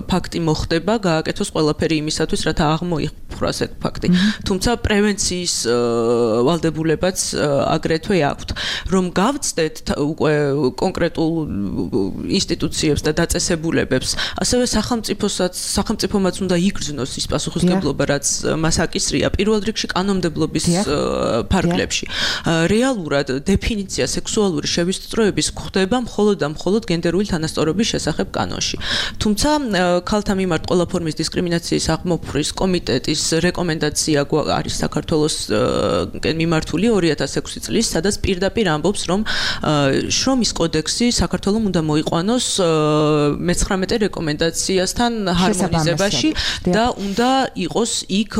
ფაქტი მოხდება, გააკეთოს ყველაფერი იმისათვის, რათა აღმოიფხვრას ეს ფაქტი. თუმცა პრევენციის ვალდებულებაც აგრეთვე აქვთ. რომ გავწდეთ უკვე კონკრეტულ ინსტიტუციებს და დაწესებულებებს, ასევე სახელმწიფომაც უნდა იგრძნოს ის პასუხისმგებლობა, რაც მას აკისრია პირველ რიგში კანონმდებლობის ფარგლებში. რეალურად დეფინიცია სექსუალური შევისწროების გვხდება მხოლოდ და მხოლოდ გენდერული თანასწორობის შესახებ კანონში. თუმცა ქალთა მიმართ ყველა ფორმის დისკრიმინაციის აღმოფხვის კომიტეტის რეკომენდაცია არის საქართველოსკენ მიმართული 2006 წლის, სადაც პირდაპირ ამბობს, რომ შრომის კოდექსი საქართველოს უნდა მოიყვანოს მე-19 რეკომენდაციასთან ჰარმონიზებაში და უნდა იყოს იქ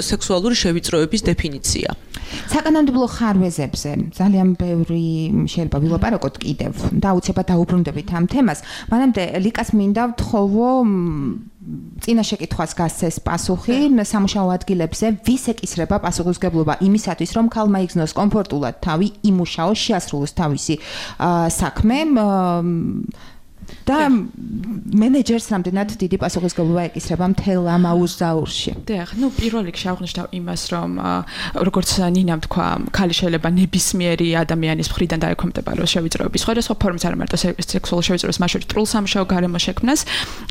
სექსუალური შევიწროების დეფინიცია. საკანონმდებლო ხარვეზებზე ძალიან ბევრი შეიძლება ვილაპარაკოთ კიდევ და აუცილებლად დაუბრუნდებით ამ თემას. მანამდე ლიკას მინდა ვთხოვო წინა შეკითხვას გასცეს პასუხი სამუშაო ადგილებზე ვის ეკისრება პასუხისმგებლობა იმისათვის რომ ქალმა იგრძნოს კომფორტულად თავი იმუშაოს შეასრულოს თავისი საქმე და მენეჯერს რამდენად დიდი პასუხისმგებლობა ეკისრება მთელ ამ აუზაურში. დიახ, პირველ რიგში აღვნიშნავ იმას, რომ როგორც ნინამ თქვა, ქალი შეიძლება ნებისმიერი ადამიანის მხრიდან დაექვემდებაროს შევიწროების სხვადასხვა ფორმის, არა მარტო სექსუალური შევიწროების, მათ შორის სრულ სამუშაო გარემო შექმნას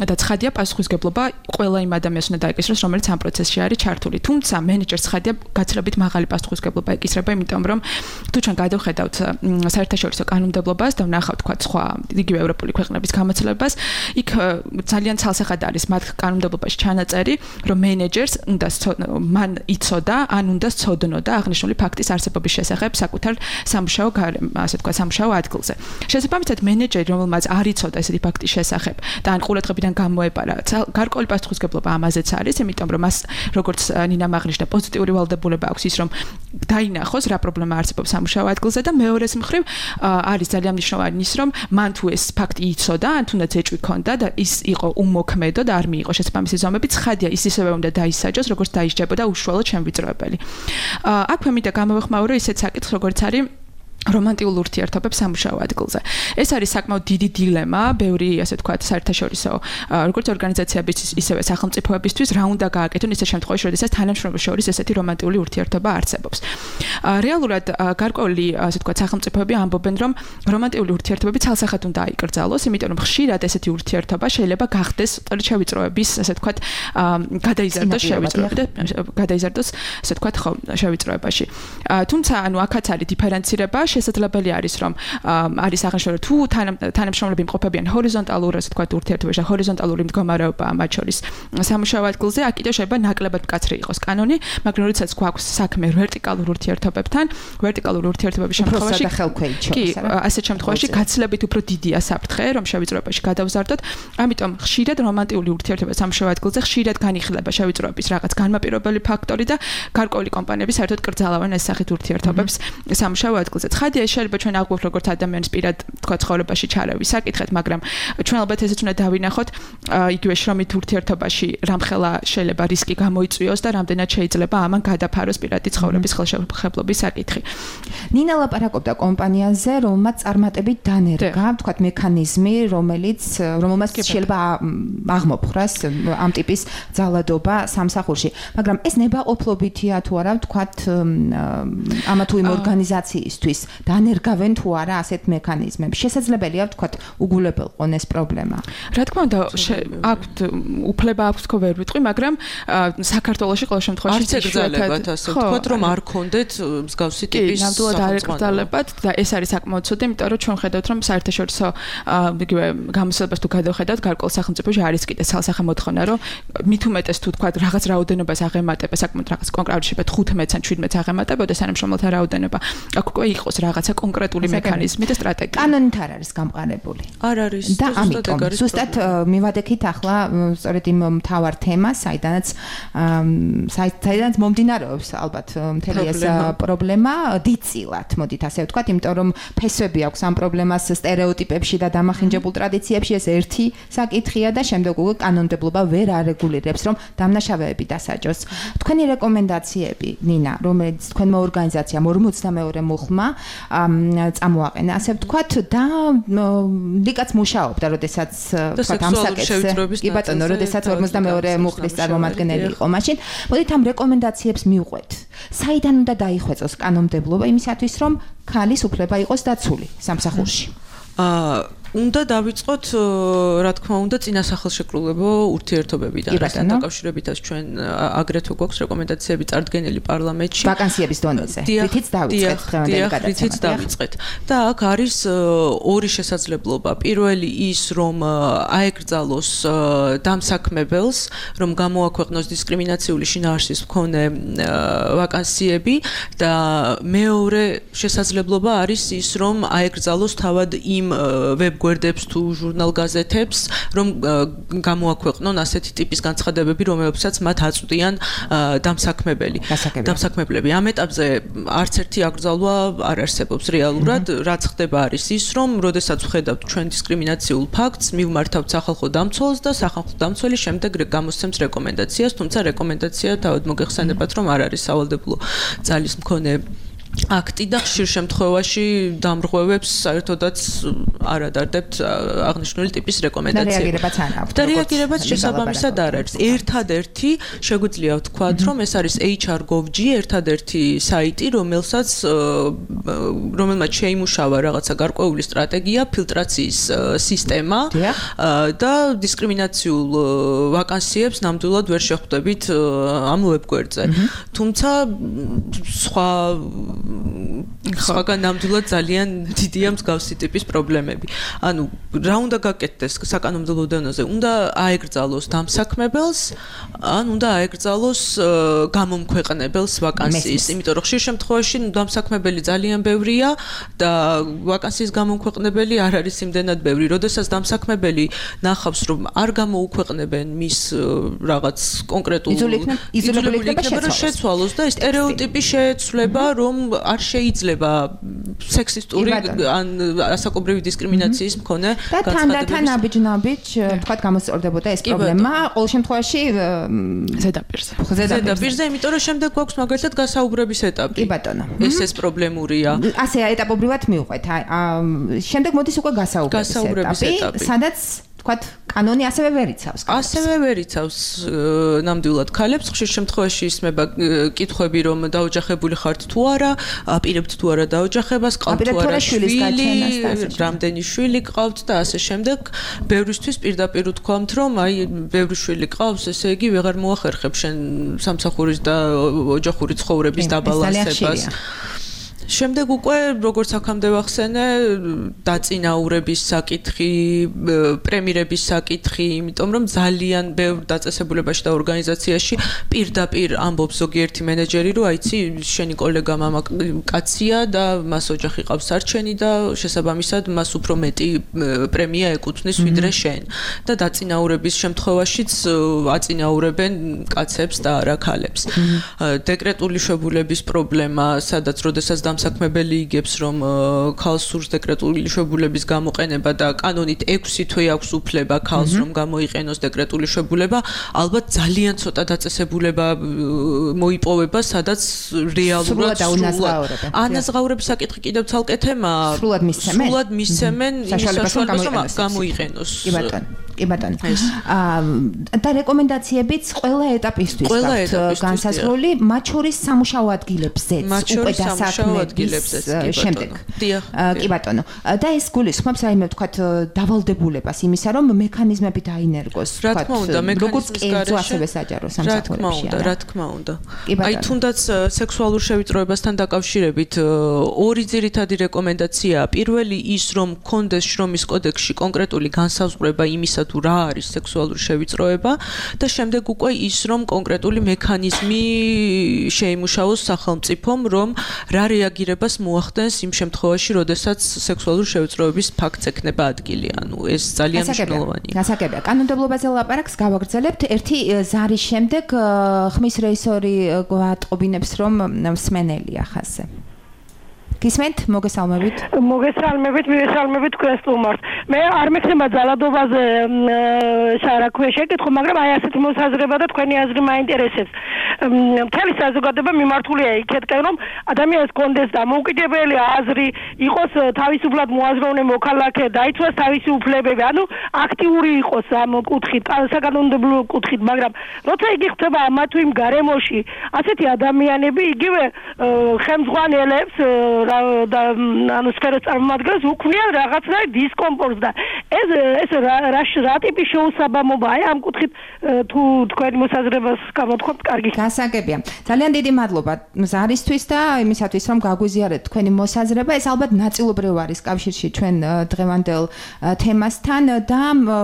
და ცხადია პასუხისმგებლობა ყველა იმ ადამიანს უნდა დაეკისროს, რომელიც ამ პროცესში არის ჩართული. თუმცა მენეჯერს ცხადია გაცილებით მაღალი პასუხისმგებლობა ეკისრება, იმიტომ რომ თუ ჩვენ გადავხედავთ საერთაშორისო კანონმდებლობას და ვნახავთ თქვა სხვა იგივე ევროპული ქვეყნების გამოცდილებას, იქ ძალიან ცალსახად არის მათ კანონმდებლობაში ჩანაწერი, რომ მენეჯერს უნდა მან იცოდა, ან უნდა სცოდნოდა აღნიშნული ფაქტის არსებობის შესახებ საკუთარ სამუშაო ასე თქვა სამუშაო ადგილზე. შესაბამისად, მენეჯერი, რომელმაც არ იცოდა ესეთი ფაქტის შესახებ და ან ყურადღებიდან გამოეპარა, გარკვეული პასუხისმგებლობა ამაზეც არის, იმიტომ რომ მას როგორც ნინამ აღნიშნა, პოზიტიური ვალდებულება აქვს ის, რომ დაინახოს რა პრობლემა არსებობს სამუშაო ადგილზე და მეორეს მხრივ არის ძალიან მნიშვნელოვანი ის, რომ მან თუ ეს ფაქტი იცოდა, ან თუნდაც ეჭვი ქონდა და ის იყო უმოქმედო და არ მიიღო შესაბამისი ზომები, ცხადია ის ისევე უნდა დაისაჯოს, როგორც დაისჯებოდა უშუალოდ შემვიწროებელი. აქვე მინდა გამოვეხმაურო ისეთ საკითხს, როგორც არის რომანტიკულ ურთიერთობებს სამუშაო ადგილზე. ეს არის საკმაოდ დიდი დილემა, ბევრი ასე ვთქვათ, საერთაშორისო როგორც ორგანიზაციების, ისევე სახელმწიფოებისთვის, რა უნდა გააკეთონ ისეთ შემთხვევაში, როდესაც თანამშრომლებს შორის ესეთი რომანტიკული ურთიერთობა არსებობს. რეალურად გარკვეული ასე ვთქვათ, სახელმწიფოები ამბობენ, რომ რომანტიკული ურთიერთობები ცალსახად უნდა აიკრძალოს, იმიტომ რომ ხშირად ესეთი ურთიერთობა შეიძლება გახდეს შევიწროების, ასე ვთქვათ, გადაიზარდოს შევიწროება, გადაიზარდოს, ასე ვთქვათ, ხო, შევიწროებაში. თუმცა, ანუ აქაც არის დიფერენცირება, შესაძლებელი არის რომ არის აღნიშნული თუ თანამშრომლები იმყოფებიან ჰორიზონტალურ ასე ვთქვათ ურთიერთობაში, ჰორიზონტალური მდგომარეობა მათ შორის სამუშაო ადგილზე, აქ კიდევ შეიძლება ნაკლებად მკაცრი იყოს კანონი, მაგრამ როდესაც გვაქვს საქმე ვერტიკალურ ურთიერთობებთან, ვერტიკალური ურთიერთობების შემთხვევაში კი, ასეთ შემთხვევაში გაცილებით უფრო დიდია საფრთხე, რომ შევიწროებაში გადავზარდოთ, ამიტომ ხშირად რომანტიკული ურთიერთობა სამუშაო ადგილზე ხშირად განიხილება შევიწროების რაღაც განმაპირობებელი ფაქტორი და გარკვეული კომპანიები საერთოდ კრძალავენ ეს სახით ურთიერთობებს სამუშაო ადგილზე. ხადია შეიძლება ჩვენ აღვქვათ როგორც ადამიანის პირად თქვა ცხოვრებაში ჩარევის საკითხეთ, მაგრამ ჩვენ ალბათ ესეც უნდა დავინახოთ იგივე შრომით ურთიერთობაში რამხელა შეიძლება რისკი გამოიწვიოს და რამდენად შეიძლება ამან გადაფაროს პირადი ცხოვრების ხელშეუხებლობის საკითხი. ნინა ლაპარაკობდა კომპანიაზე, რომელმაც წარმატებით დანერგა, ვთქვათ, მექანიზმი, რომელმაც შეიძლება აღმოფხვრას ამ ტიპის ძალადობა სამსახურში. მაგრამ ეს ნებაყოფლობითია თუ არა, ვთქვათ, ამა თუ იმ ორგანიზაციისთვის დანერგავენ თუ არა ასეთ მექანიზმებს. შესაძლებელია ვთქვათ, უგულებელყონ ეს პრობლემა. რა თქმა უნდა, აქვთ უფლება აქვს თქო ვერ ვიტყვი, მაგრამ საქართველოში ყოველ შემთხვევაში ცეგრძალებათ ასე ვთქვათ, რომ არ ქონდეთ მსგავსი ტიპის ნამდვილად არ ეკრძალებათ და ეს არის საკმაოდ ცუდი, იმიტომ რომ ჩვენ ხედავთ, რომ საერთაშორისო იგივე გამოსვლებას თუ გადავხედავთ, გარკვეულ სახელმწიფოში არის კიდე ცალსახე მოთხოვნა, რომ მით უმეტეს თუ ვთქვათ, რაღაც რაოდენობას აღემატება, საკმაოდ რაღაც კონკრეტული შეიძლება 15-ან 17-ს აღემატებოდეს თანამშრომელთა რაოდენობა. აქ უკვე იყოს რაღაცა კონკრეტული მექანიზმი და სტრატეგია. კანონით არ არის გამყარებული. არ არის. და ამიტომ ზუსტად მივადექით ახლა სწორედ იმ მთავარ თემას, საიდანაც მომდინარეობს ალბათ მთელი ეს პრობლემა დიდწილად, მოდით ასე ვთქვათ, იმიტომ რომ ფესვები აქვს ამ პრობლემას სტერეოტიპებში და დამახინჯებულ ტრადიციებში, ეს ერთი საკითხია და შემდეგ უკვე კანონმდებლობა ვერ არეგულირებს, რომ დამნაშავეები დასაჯოს. თქვენი რეკომენდაციები, ნინა, რომელიც თქვენმა ორგანიზაციამ 42 მუხლმა წამოაყენა, ასე ვთქვათ, და ლიკაც მუშაობდა, როდესაც ვთქვათ ამ საკითხზე. კი ბატონო, როდესაც 42 მუხლის წარმომადგენელი იყო მაშინ. მოდით ამ რეკომენდაციებს მივყვეთ. საიდან უნდა დაიხვეწოს კანონმდებლობა იმისათვის, რომ ქალის უფლება იყოს დაცული სამსახურში? უნდა დავიწყოთ რა თქმა უნდა წინასახელშეკრულებო ურთიერთობებიდან რასთან დაკავშირებითაც ჩვენ აგრეთვე გვაქვს რეკომენდაციები წარდგენილი პარლამენტში ვაკანსიების დონეზე რითიც დავიწყეთ დღევანდელი გადაცემა დავიწყეთ და აქ არის ორი შესაძლებლობა პირველი ის რომ აეკრძალოს დამსაქმებელს რომ გამოაქვეყნოს დისკრიმინაციული შინაარსის მქონე ვაკანსიები და მეორე შესაძლებლობა არის ის რომ აეკრძალოს თავად იმ ვებგვერდებს თუ ჟურნალ-გაზეთებს რომ გამოაქვეყნონ ასეთი ტიპის განცხადებები რომელებსაც მათ აწვდიან დამსაქმებლები ამ ეტაპზე არც ერთი აკრძალვა არ არსებობს რეალურად რაც ხდება არის ის რომ როდესაც ვხედავთ ჩვენ დისკრიმინაციულ ფაქტს მივმართავთ სახალხო დამცველს და სახალხო დამცველი შემდეგ გამოსცემს რეკომენდაციას თუმცა რეკომენდაცია თავად მოგეხსენებათ რომ არ არის სავალდებულო ძალის მქონე აქტი და ხშირ შემთხვევაში დამრღვევებს საერთოდაც არ ადარდებთ აღნიშნული ტიპის რეკომენდაციებს. და რეაგირებაც შესაბამისად არ არის. ერთადერთი შეგვიძლია ვთქვათ, რომ ეს არის HR.gov.g, ერთადერთი საიტი, რომელმაც შეიმუშავა რაღაცა გარკვეული სტრატეგია, ფილტრაციის სისტემა და დისკრიმინაციულ ვაკანსიებს ნამდვილად ვერ შეხვდებით ამ ვებგვერდზე. თუმცა სხვაგან ნამდვილად ძალიან დიდია მსგავსი ტიპის პრობლემები. ანუ რა უნდა გაკეთდეს საკანონმდებლო დონეზე? უნდა აეკრძალოს დამსაქმებელს, ან უნდა აეკრძალოს გამომქვეყნებელს ვაკანსიის, იმიტომ რომ ხშირ შემთხვევაში დამსაქმებელი ძალიან ბევრია და ვაკანსიის გამომქვეყნებელი არ არის იმდენად ბევრი. როდესაც დამსაქმებელი ნახავს, რომ არ გამოუქვეყნებენ მის რაღაც კონკრეტულ იზოლებული იქნება შეცვალოს და სტერეოტიპი შეეცვლება, რომ არ შეიძლება სექსისტური ან ასაკობრივი დისკრიმინაციის მქონე განცხადებების და თანაბიჯ თქვათ გამოსწორდებოდა ეს პრობლემა ყოველ შემთხვევაში ზედაპირზე იმიტომ რომ შემდეგ გვაქვს მაგალითად გასაუბრების ეტაპი. კი ბატონო. ეს პრობლემურია. ასე ეტაპობრივად მივყვეთ. შემდეგ მოდის უკვე გასაუბრების ეტაპი. სადაც თქვათ კანონი ასევე ვერ იცავს. ასევე ვერ იცავს ნამდვილად ქალებს. ხშირ შემთხვევაში ისმება კითხვები რომ დაოჯახებული ხართ თუ არა, აპირებთ თუ არა დაოჯახებას, ყავთ თუ არა შვილი, რამდენი შვილი ყავთ და ასე შემდეგ. ბევრისთვის პირდაპირ ვთქვამთ რომ აი ბევრი შვილი ყავს, ესე იგი ვეღარ მოახერხებ შენ სამსახურის და ოჯახური ცხოვრების დაბალანსებას. შემდეგ უკვე როგორც აქამდე ვახსენე დაწინაურების საკითხი, პრემიერების საკითხი, იმიტომ რომ ძალიან ბევრ დაწესებულებაში და ორგანიზაციაში პირდაპირ ამბობს ზოგიერთი მენეჯერი, რომ აიცი, შენი კოლეგა მამა კაცია და მას ოჯახი ყავს არჩენი და შესაბამისად მას უფრო მეტი პრემია ეკუთვნის ვიდრე შენ. და დაწინაურების შემთხვევაშიც აწინაურებენ კაცებს და არა ქალებს. დეკრეტული შვებულების პრობლემა, სადაც როდესაც დამსაქმებელი იგებს რომ ქალს სურს დეკრეტული შვებულების გამოყენება და კანონით 6 თვე აქვს უფლება ქალს რომ გამოიყენოს დეკრეტული შვებულება, ალბათ ძალიან ცოტა დაწესებულება მოიპოვება, სადაც რეალურად ანაზღაურების საკითხი კიდევ ცალკე თემაა. სრულად მისცემენ იმის საშუალებას რომ გამოიყენოს. კი ბატონო. და რეკომენდაციებიც ყველა ეტაპისთვის გაქვთ განსაზღვრული, მათ შორის სამუშაო ადგილებზეც უკვე დასაქმების შემდეგ. კი ბატონო. და ეს გულისხმობს რაიმე ვთქვათ დავალდებულებას იმისა, რომ მექანიზმები დაინერგოს, ვთქვათ, როგორც კერძო ასევე საჯარო სამსახურებში. რა თქმა უნდა. აი თუნდაც სექსუალურ შევიწროებასთან დაკავშირებით ორი ძირითადი რეკომენდაციაა. პირველი ის, რომ კონდეს შრომის კოდექსში კონკრეტული განსაზღვრება იმისა თუ რა არის სექსუალური შევიწროება და შემდეგ უკვე ის რომ კონკრეტული მექანიზმი შეიმუშაოს სახელმწიფომ რომ რა რეაგირებას მოახდენს იმ შემთხვევაში როდესაც სექსუალური შევიწროების ფაქტს ექნება ადგილი. ანუ ეს ძალიან მნიშვნელოვანია. გასაგებია. კანონმდებლობაზე ლაპარაკს გავაგრძელებთ. ერთი ზარის შემდეგ ხმის რეისორი გვატყობინებს რომ მსმენელია ხაზზე. გისმენთ? მოგესალმებით. მივესალმებით თქვენ სტუმარს. მე არ მექნება ძალადობაზე საერთოდ შეკითხვა, მაგრამ აი ასეთი მოსაზრება და თქვენი აზრი მაინტერესებს. მთელი საზოგადოება მიმართულია იქეთკენ, რომ ადამიანს კონდეს დამოუკიდებელი აზრი, იყოს თავისუფლად მოაზროვნე მოქალაქე, დაიცვას თავისი უფლებები, ანუ აქტიური იყოს ამ კუთხით, საკანონმდებლო კუთხით, მაგრამ როცა იგი ხდება ამა თუ იმ გარემოში, ასეთი ადამიანები იგივე ხელმძღვანელებს და ანუ სფეროს წარმომადგენლებს უქმნიან რაღაცნაირ დისკომფორტს და ეს რა ტიპის შეუსაბამობა აი ამ კუთხით თუ თქვენი მოსაზრებას გამოთქვამთ კარგი გასაგებია ძალიან დიდი მადლობა ზარისთვის და იმისათვის რომ გაგვიზიარეთ თქვენი მოსაზრება ეს ალბათ ნაწილობრივ არის კავშირში ჩვენ დღევანდელ თემასთან და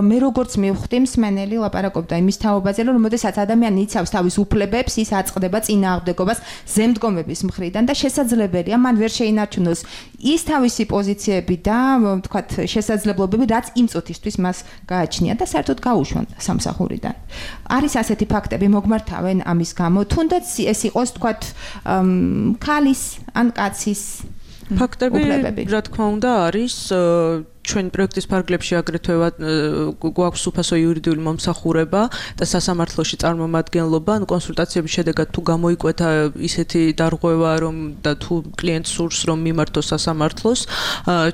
მე როგორც მივხვდი მსმენელი ლაპარაკობდა იმის თაობაზე რომ როდესაც ადამიანი იცავს თავის უფლებებს ის აწყდება წინააღმდეგობას ზემდგომების მხრიდან და შესაძლებელია მან ვერ შეინარჩუნოს ის თავისი პოზიციები და თქვათ შესაძლებლობები რაც იმ წუთისთვის მას გააჩნია და საერთოდ გაუშვან სამსახურიდან არის ასეთი ფაქტები მოგმართავენ ამის გამო თუნდაც ეს იყოს თქვათ ქალის ან კაცის ფაქტები რა თქმა უნდა არის ჩვენ პროექტის ფარგლებში აგრეთვე გვაქვს უფასო იურიდიული მომსახურება და სასამართლოში წარმომადგენლობა, კონსულტაციების შედეგად თუ გამოიკვეთა ისეთი დარღვევა რომ და თუ კლიენტს სურს რომ მიმართოს სასამართლოს,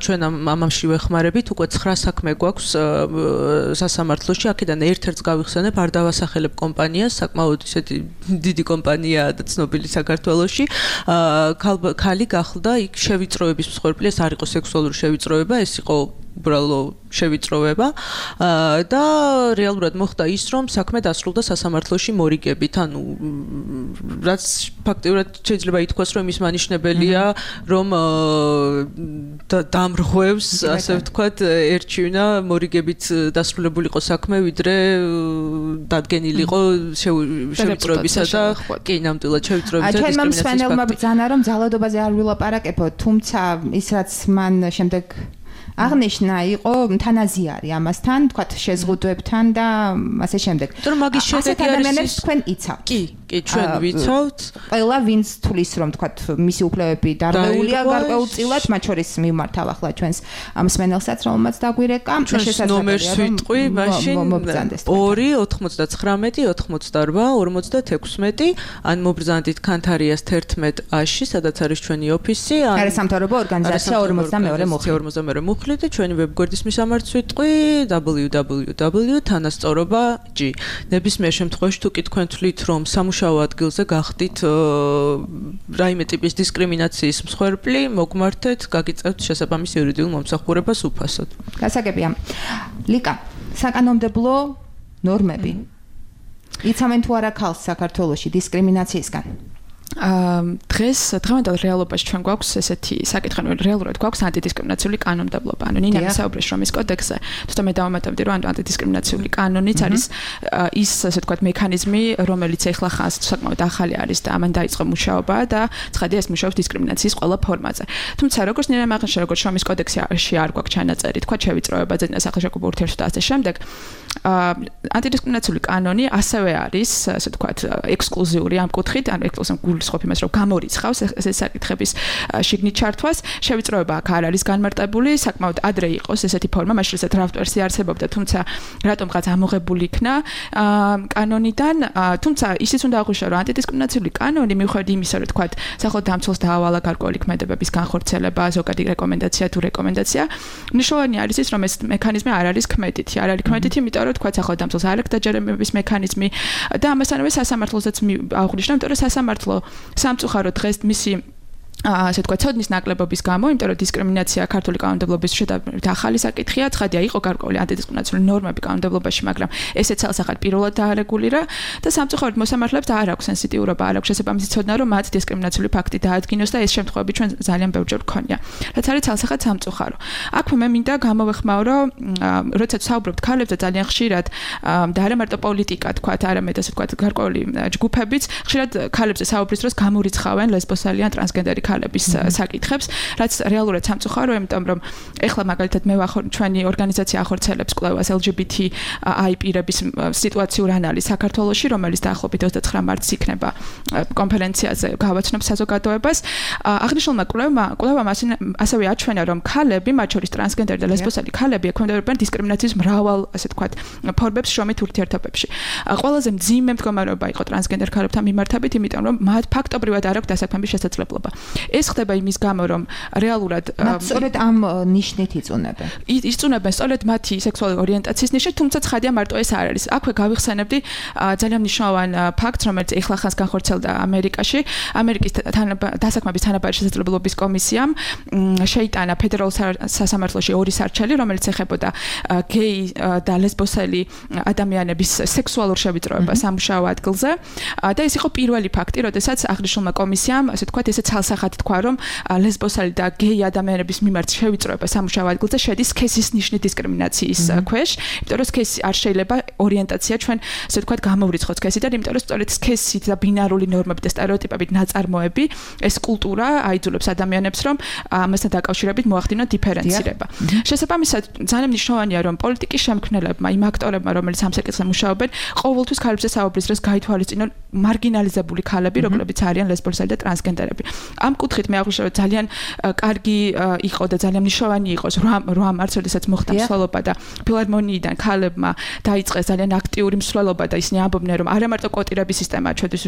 ჩვენ ამაში ვეხმარებით, უკვე 9 საქმე გვაქვს სასამართლოში, აქედან ერთ-ერთს გავიხსენებ, არ დავასახელებ კომპანიას, საკმაოდ ისეთი დიდი კომპანიაა და ცნობილი საქართველოში. ქალი გახლდა იქ შევიწროების მსხვერპლი, ეს არ იყო სექსუალური შევიწროება, ეს იყო უბრალო შევიწროვება და რეალურად მოხდა ის რომ საქმე დასრულდა სასამართლოში მორიგებით ანუ რაც ფაქტიურად შეიძლება ითქვას რომ ის მანიშნებელია რომ დამრღვევს ასე ვთქვათ ერჩივნა მორიგებით დასრულებულიყო საქმე ვიდრე დადგენილიყო შევიწროებისა და კი ნამდვილად შევიწროებისა და ჩვენ მსმენელმა ბრძანა რომ ძალადობაზე არ ვილაპარაკებო თუმცა ის რაც მან შემდეგ აღნიშნა იყო თანაზიარი ამასთან, თქვათ შეზღუდვებთან და ასე შემდეგ. თუმცა მაგის შედეგი არის თქვენ იცავთ. კი, ჩვენ ვიცავთ. ყველა ვინც თulis რომ თქვათ მისი უფლებები დარღვეულია გარკვეულწილად, მათ შორის მიმართავ ახლა ჩვენს მსმენელსაც რომელმაც დაგვირეკა და შესაძლებელია ნომერს ვიტყვი, მაშინ 2 ან მობრძანდით კანთარიას 11-ში, სადაც არის ჩვენი ოფისი, ან არასამთავრობო ორგანიზაცია 42 მუხლი და ჩვენი ვებგვერდის მისამართს ვიტყვი www.თანასწორობა.g. ნებისმიერ შემთხვევაში თუ კი თქვენ თვლით რომ სამუშაო ადგილზე გახდით რაიმე ტიპის დისკრიმინაციის მსხვერპლი, მოგმართეთ, გაგიწევთ შესაბამის იურიდიულ მომსახურებას უფასოდ. გასაგებია. ლიკა, საკანონმდებლო ნორმები. იცავენ თუ არა ქალს საქართველოში დისკრიმინაციისგან? დღეს დღევანდელ რეალობაში ჩვენ გვაქვს ესეთი საკითხი, რომ რეალურად გვაქვს ანტიდისკრიმინაციული კანონმდებლობა. ანუ ნინა მისაუბრეს შრომის კოდექსზე, თუმცა მე დავამატებდი, რომ ანტიდისკრიმინაციული კანონიც არის ის, ასე ვთქვათ, მექანიზმი, რომელიც ეხლა ხანს საკმაოდ ახალი არის და ამან დაიწყო მუშაობა და ცხადია ეს მუშაობს დისკრიმინაციის ყველა ფორმაზე. თუმცა როგორც ნინა აღნიშნა, როგორც შრომის კოდექსში არ გვაქვს ჩანაწერი, თქვა შევიწროებაზე და სახელმწიფო ურთიერთობა და ასე შემდეგ. ანტიდისკრიმინაციული კანონი ასევე არის, ასე ვთქვათ, ექსკლუზიური ამ კუთხით, ანუ ექსკლუზიური გულისხმობ იმას, რომ გამორიცხავს ეს საკითხების შიგნით ჩართვას. შევიწროება აქ არ არის განმარტებული, საკმაოდ ადრე იყოს ესეთი ფორმა, მაშინ როდესაც დრაფტ ვერსია არსებობდა, თუმცა რატომღაც ამოღებული იქნა კანონიდან, თუმცა ისიც უნდა აღვნიშნო, რომ ანტიდისკრიმინაციული კანონი მიუხედავად იმისა, რომ თქვათ, სახელმწიფო დამცველს დაავალა გარკვეული ქმედებების განხორციელება, ზოგადი რეკომენდაცია თუ რეკომენდაცია, მნიშვნელოვანი არის ის, რომ ეს მექანიზმი არ არის ქმედითი, არ არის ქმედითი, იმიტომ რომ თქვათ, სახელმწიფო დამცველს არ აქვს დაჯერებების მექანიზმი და ამასთანავე სასამართლოსაც აღვნიშნო, იმიტომ რომ სასამართლო სამწუხაროდ დღეს მისი ასე ვთქვათ, ცოდნის ნაკლებობის გამო, იმიტომ რომ დისკრიმინაცია ქართული კანონმდებლობის შედარებით ახალი საკითხია, ცხადია, იყო გარკვეული ანტიდისკრიმინაციული ნორმები კანონმდებლობაში, მაგრამ ესეც ცალსახად პირველად დაარეგულირა და სამწუხაროდ მოსამართლეებს არ აქვს სენსიტიურობა, არ აქვს შესაბამისი ცოდნა, რომ მათ დისკრიმინაციული ფაქტი დაადგინოს და ეს შემთხვევები ჩვენ ძალიან ბევრჯერ გქონია. რაც არის ცალსახად სამწუხარო. აქვე მე მინდა გამოვეხმაურო, როდესაც საუბრობთ ქალებზე ძალიან ხშირად და არა მარტო პოლიტიკა, თქვათ, არამედ ასე ვთქვათ, გარკვეული ჯგუფებიც ხშირად ქალებზე საუბრის დროს გამორიცხავენ ლესბოსელი ან ტრანსგენდერი ქალების საკითხებს, რაც რეალურად სამწუხაროა, იმიტომ რომ ეხლა მაგალითად მე ჩვენი ორგანიზაცია ახორციელებს კვლევას LGBTI პირების სიტუაციურ ანალიზს საქართველოში, რომელიც დაახლოებით 29 მარტს იქნება კონფერენციაზე გავაცნობს საზოგადოებას. აღნიშნულმა კვლევამ ასევე აჩვენა, რომ ქალები, მათ შორის ტრანსგენდერი და ლესბოსელი ქალები ექვემდებარებიან დისკრიმინაციის მრავალ, ასე ვთქვათ, ფორმებს შრომით ურთიერთობებში. ყველაზე მძიმე მდგომარეობა იყო ტრანსგენდერ ქალებთან მიმართებით, იმიტომ რომ მათ ფაქტობრივად არ აქვს დასაქმების შესაძლებლობა. ეს ხდება იმის გამო, რომ რეალურად მათ სწორედ ამ ნიშნით იწუნებენ. იწუნებენ სწორედ მათი სექსუალური ორიენტაციის ნიშნით, თუმცა ცხადია მარტო ეს არ არის. აქვე გავიხსენებდი ძალიან მნიშვნელოვან ფაქტს, რომელიც ეხლახანს განხორციელდა ამერიკაში. ამერიკის დასაქმების თანაბარი შესაძლებლობის კომისიამ შეიტანა ფედერალურ სასამართლოში 2 სარჩელი, რომელიც ეხებოდა გეი და ლესბოსელი ადამიანების სექსუალურ შევიწროებას სამუშაო ადგილზე. და ეს იყო პირველი ფაქტი, როდესაც აღნიშნულმა კომისიამ, ასე ვთქვათ, ესე ცალსახად თქვა, რომ ლესბოსელი და გეი ადამიანების მიმართ შევიწროება სამუშაო ადგილზე შედის სქესის ნიშნის დისკრიმინაციის ქვეშ, იმიტომ რომ სქესი არ შეიძლება ორიენტაცია ჩვენ, ასე ვთქვათ, გამოვრიცხოთ სქესიდან, იმიტომ რომ სწორედ სქესით და ბინარული ნორმებით და სტერეოტიპებით ნაწარმოები ეს კულტურა აიძულებს ადამიანებს, რომ ამასთან დაკავშირებით მოახდინონ დიფერენცირება. შესაბამისად, ძალიან მნიშვნელოვანია, რომ პოლიტიკის შემქმნელებმა, იმ აქტორებმა, რომელიც ამ საკითხზე მუშაობენ, ყოველთვის ქალებზე საუბრის დროს გაითვალისწინონ მარგინალიზებული ქალები, როგორებიც არიან ლესბოსელი და ტრანსგენდერები. ამ კუთხით მე აღვნიშნე, რომ ძალიან კარგი იყო და ძალიან მნიშვნელოვანი იყოს 8 მარტს, როდესაც მოხდა მსვლელობა და ფილარმონიიდან ქალებმა დაიწყეს ძალიან აქტიური მსვლელობა და ისინი ამბობდნენ, რომ არა მარტო კვოტირების სისტემაა ჩვენთვის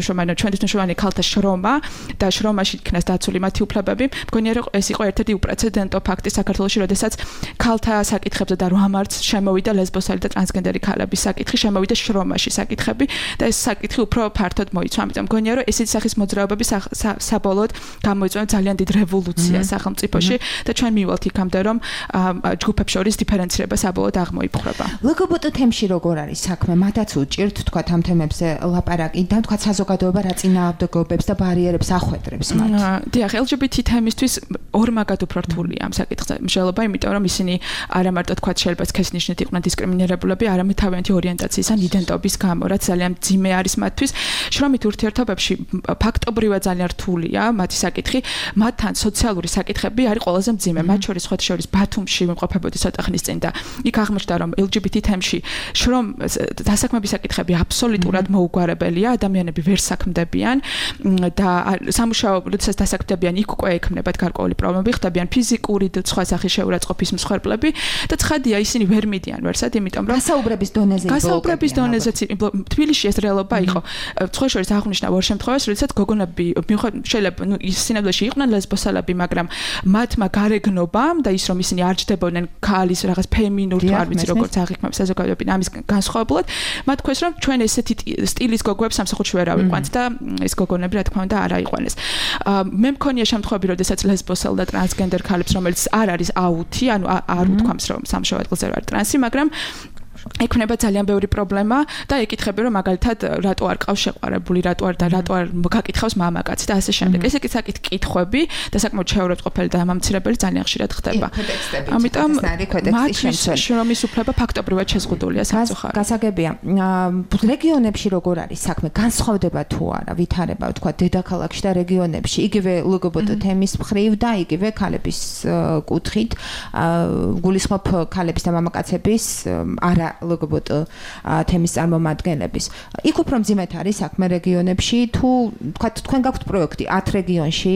მნიშვნელოვანი ქალთა შრომა და შრომაში იქნას დაცული მათი უფლებები. მგონია, რომ ეს იყო ერთ-ერთი უპრეცედენტო ფაქტი საქართველოში, როდესაც ქალთა საკითხებზე და 8 მარტს შემოვიდა ლესბოსელი და ტრანსგენდერი ქალების საკითხი, შემოვიდა შრომაში საკითხები და ეს საკითხი უფრო ფართოდ მოიცვა. ამიტომ მგონია, რომ ესეთი სახის მოძრაობები საბოლოოდ გამოიწვია ძალიან დიდ რევოლუციას სახელმწიფოში და ჩვენ მივალთ იქამდე, რომ ჯგუფებს შორის დიფერენცირება საბოლოოდ აღმოიფხვრება. LGBT თემში როგორ არის საქმე? მათაც უჭირთ, თქვათ, ამ თემებზე ლაპარაკი და თქვათ საზოგადოება რა წინააღმდეგობებს და ბარიერებს ახვედრებს მათ. დიახ, LGBT თემისთვის ორმაგად უფრო რთულია ამ საკითხზე მსჯელობა, იმიტომ რომ ისინი არა მარტო თქვათ შეიძლება სქესის ნიშნით იყვნენ დისკრიმინირებულები, არამედ თავიანთი ორიენტაციის ან იდენტობის გამო, რაც ძალიან მძიმე არის მათთვის. შრომით ურთიერთობებში ფაქტობრივად ძალიან რთულია მათი საკითხი, მათთან სოციალური საკითხები არის ყველაზე მძიმე. მათ შორის ხოთი შორის ბათუმში ვიმყოფებოდი ცოტა ხნის წინ და იქ აღმოჩნდა, რომ LGBT თემში დასაქმების საკითხები აბსოლუტურად მოუგვარებელია, ადამიანები ვერ საქმდებიან და სამუშაო როდესაც დასაქმდებიან, იქ უკვე ექმნებათ გარკვეული პრობლემები, ხდებიან ფიზიკური და სხვა სახის შეურაცხყოფის მსხვერპლები და ცხადია ისინი ვერ მიდიან ვერსად, იმიტომ რომ გასაუბრების დონეზეც თბილისში ეს რეალობა იყო. სხვა შორის აღნიშნა ორ შემთხვევას, როდესაც გოგონები შეიძლება სინამდვილეში იყვნენ ლესბოსელები, მაგრამ მათმა გარეგნობამ და ის რომ ისინი არ ჯდებოდნენ ქალის რაღაც ფემინურ თუ არ ვიცი როგორც აღიქმებს საზოგადოებიდან ამის განსხვავებულად, მათ ქვეს რომ ჩვენ ესეთი სტილის გოგოებს სამსახურში ვერ ავიყვანთ და ეს გოგონები რა თქმა უნდა არ აიყვანეს. მე მქონია შემთხვევები, როდესაც ლესბოსელ და ტრანსგენდერ ქალებს, რომელიც არ არის აუთი, ანუ არ უთქვამს რომ სამშობლო ადგილზე არ ტრანსი, მაგრამ ექნება ძალიან ბევრი პრობლემა და ეკითხები რომ მაგალითად რატო არ ყავს შეყვარებული, რატო არ გაკითხავს მამაკაცი და ასე შემდეგ. ეს საკითხი კითხვები და საკმაოდ შეურაცხყოფელი და ამამცირებელი ძალიან ხშირად ხდება. ამიტომ მათთვის შრომის უფლება ფაქტობრივად შეზღუდულია სამწუხაროდ. გასაგებია. რეგიონებში როგორ არის საქმე? განსხვავდება თუ არა ვითარება, თქვა დედაქალაქში და რეგიონებში, იგივე LGBT თემის მხრივ და იგივე ქალების კუთხით, გულისხმობ ქალების და მამაკაცების არა LGBT თემის წარმომადგენლების. იქ უფრო მძიმედ არის საქმე რეგიონებში თუ თქვა თქვენ გაქვთ პროექტი 10 რეგიონში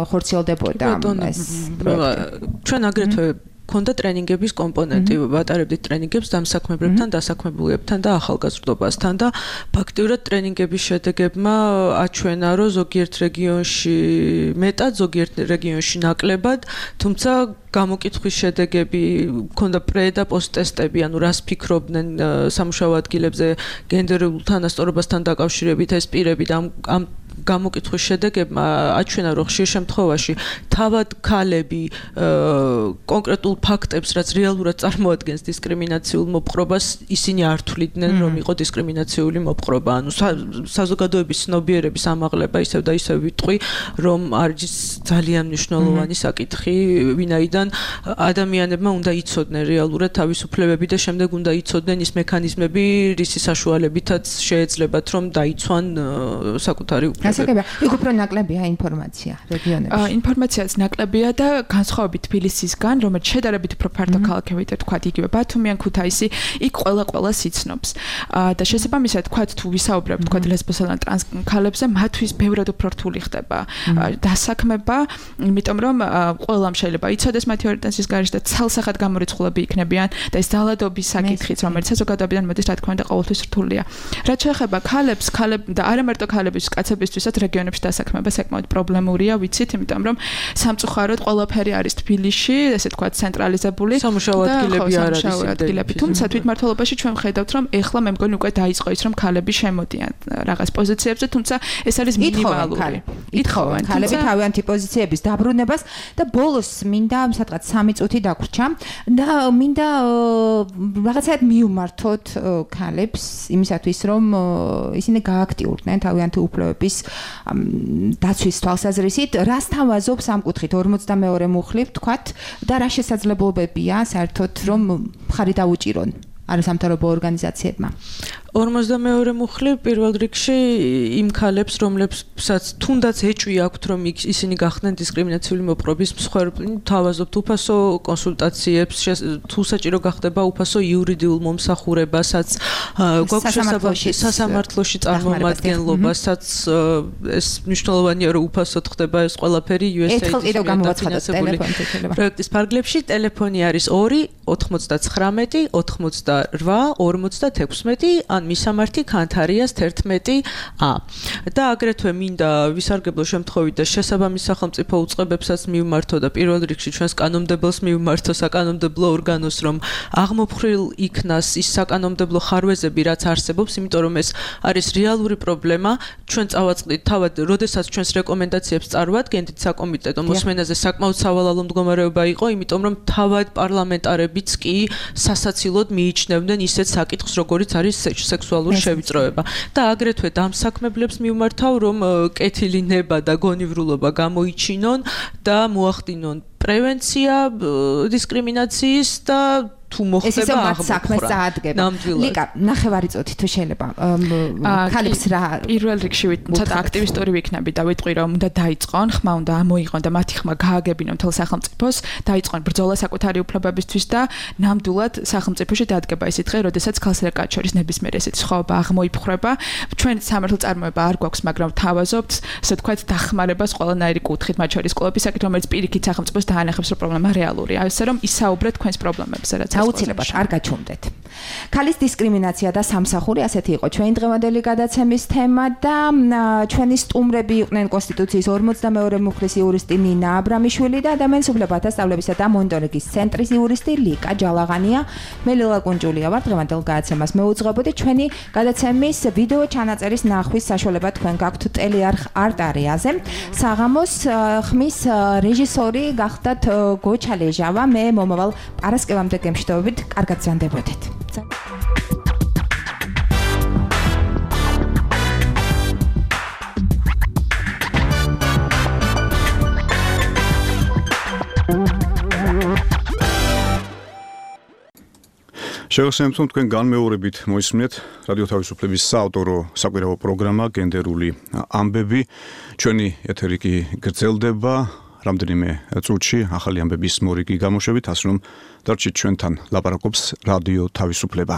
ხორციელდებოდა ეს პროექტი. ჩვენ აგრეთვე ქონდა ტრენინგების კომპონენტი, ვატარებდით ტრენინგებს დამსაქმებლებთან, დასაქმებულებთან და ახალგაზრდობასთან და ფაქტიურად ტრენინგების შედეგებმა აჩვენა, რომ ზოგიერთ რეგიონში მეტად, ზოგიერთ რეგიონში ნაკლებად, თუმცა გამოკითხვის შედეგები ქონდა პრე და პოსტ ტესტები, ანუ რას ფიქრობდნენ სამუშაო ადგილებზე გენდერულ თანასწორობასთან დაკავშირებით ეს პირები და ამ გამოკითხვის შედეგებმა აჩვენა, რომ ხშირ შემთხვევაში თავად ქალები კონკრეტულ ფაქტებს, რაც რეალურად წარმოადგენს დისკრიმინაციულ მოპყრობას, ისინი არ თვლიდნენ, რომ იყო დისკრიმინაციული მოპყრობა. ანუ საზოგადოების ცნობიერების ამაღლება ისევ და ისევ ვიტყვი, რომ არის ძალიან მნიშვნელოვანი საკითხი, ვინაიდან ადამიანებმა უნდა იცოდნენ რეალურად თავისუფლებები და შემდეგ უნდა იცოდნენ ის მექანიზმები, რისი საშუალებითაც შეეძლებათ, რომ დაიცვან საკუთარი უფლებები. გასაგებია, იქ უფრო ნაკლებია ინფორმაცია რეგიონებში. ინფორმაციაც ნაკლებია და განსხვავებით თბილისისგან, რომელიც შედარებით უფრო ფართო ქალაქები და თქვა იგივე ბათუმი ან ქუთაისი, იქ ყველა სიცნობს. და შესაბამისად თქვა თუ ვისაუბრებთ თქვა ლესბოსელ ან ტრანს ქალებზე, მათთვის ბევრად უფრო რთული ხდება დასაქმება, იმიტომ რომ ყველამ შეიძლება იცოდეს მათი ორიენტაციის გარშემო და ცალსახად გამორიცხულები იქნებიან და ეს ძალადობის საკითხიც, რომელიც საზოგადოებიდან მოდის, რა თქმა უნდა, ყოველთვის რთულია. რაც შეეხება ქალებს და არა მარტო ქალების, კაცების ყველასთვისაც რეგიონებში დასაქმება საკმაოდ პრობლემურია, ვიცით, იმიტომ რომ სამწუხაროდ ყველაფერი არის თბილისში, ესე თქვა ცენტრალიზებული სამუშაო ადგილები არ არის ადგილები. თუმცა თვითმმართველობაში ჩვენ ვხედავთ, რომ ეხლა მე მგონი უკვე დაიწყო ის, რომ ქალები შემოდიან რაღაც პოზიციებზე, თუმცა ეს არის მინიმალური. ითხოვენ ქალები თავიანთი პოზიციების დაბრუნებას და ბოლოს მინდა სადღაც 3 წუთი დაგვრჩა და მინდა რაღაცად მიუმართოთ ქალებს იმისათვის, რომ ისინი გააქტიურდნენ თავიანთი უფლებების დაცვის თვალსაზრისით, რას თავაზობს ამ კუთხით 42 მუხლი ვთქვათ და რა შესაძლებლობებია საერთოდ რომ მხარი დაუჭირონ არასამთავრობო ორგანიზაციებმა. 42 მუხლი პირველ რიგში იმ ქალებს, რომლებსაც თუნდაც ეჭვი აქვთ, რომ ისინი გახდნენ დისკრიმინაციული მოპყრობის მსხვერპლი, თავაზობთ უფასო კონსულტაციებს, თუ საჭირო გახდება უფასო იურიდიულ მომსახურებასაც, გვაქვს შესაძლებლობა სასამართლოში წარმომადგენლობასაც, ეს მნიშვნელოვანია, რომ უფასოდ ხდება ეს ყველაფერი USAID-ის პროექტის ფარგლებში. ტელეფონი არის 2 99 88 56 ან მისამართი ქანთარიას 11A. და აგრეთვე მინდა ვისარგებლო შემთხვევით და შესაბამის სახელმწიფო უწყებებსაც მივმართო და პირველ რიგში ჩვენს კანონმდებელს მივმართო საკანონმდებლო ორგანოს, რომ აღმოფხრილ იქნას ის საკანონმდებლო ხარვეზები, რაც არსებობს, იმიტომ რომ ეს არის რეალური პრობლემა. ჩვენ წავაწყდით თავად, როდესაც ჩვენს რეკომენდაციებს წარვადგენთ საკომიტეტო მოსმენაზე საკმაოდ სავალალო მდგომარეობა იყო, იმიტომ რომ თავად პარლამენტარებიც კი სასაცილოდ მიიჩნევდნენ ისეთ საკითხს, როგორიც არის სექსუალური შევიწროება. და აგრეთვე დამსაქმებლებს მივმართავ, რომ კეთილი ნება და გონივრულობა გამოიჩინონ და მოახდინონ პრევენცია დისკრიმინაციის და თუ მოხდება აღმოხრა. ლიკა, ნახევარი წუთი თუ შეიძლება. ქალებს რა პირველ რიგში ცოტა აქტივისტური ვიქნები და ვიტყვი, რომ უნდა დაიწყონ, ხმა უნდა ამოიღონ და მათი ხმა გააგებინონ მთელ სახელმწიფოს, დაიწყონ ბრძოლა საკუთარი უფლებებისთვის და ნამდვილად სახელმწიფოში დადგება ისეთი დღე, როდესაც ქალს და კაცს შორის ნებისმიერ ესეთი სხვაობა აღმოიფხრება. ჩვენ სამართლ წარმოება არ გვაქვს, მაგრამ თავაზობთ, ასე თქვათ, დახმარებას ყველანაირი კუთხით, მათ შორის კლუბის საკითხი, რომელიც პირიქით სახელმწიფოს დაანახებს, რომ პრობლემა რეალურია. ასე რომ ისაუბრეთ თქვენს პრობლემებზე, რაც აუცილებლად არ გაჩვენდეთ. ქალის დისკრიმინაცია და სამსახური, ასეთი იყო ჩვენი დღევანდელი გადაცემის თემა და ჩვენი სტუმრები იყვნენ კონსტიტუციის 42 მუხლის იურისტი ნინა აბრამიშვილი და ადამიანის უფლებათა სწავლებისა და მონიტორინგის ცენტრის იურისტი ლიკა ჯალაღანია. მე ლელა კუნჯულია ვარ, დღევანდელ გადაცემას მეუძღვებოდი. ჩვენი გადაცემის ვიდეო ჩანაწერის ნახვის საშუალება თქვენ გაქვთ ტელეარხ არტ-არეაზე. საღამოს ხმის რეჟისორი გახდათ გოჩა ლეჟავა. მე მომავალ პარასკევამდე გემშვიდობებით, კარგად ზანდებოდეთ. შევახსენებთ, რომ თქვენ განმეორებით მოისმინეთ რადიო თავისუფლების საავტორო საკვირაო პროგრამა გენდერული ამბები. ჩვენი ეთერი კი გრძელდება რამდენიმე წუთში ახალი ამბების მორიგი გამოშვებით, ასე რომ დარჩით ჩვენთან, ლაპარაკობს რადიო თავისუფლება.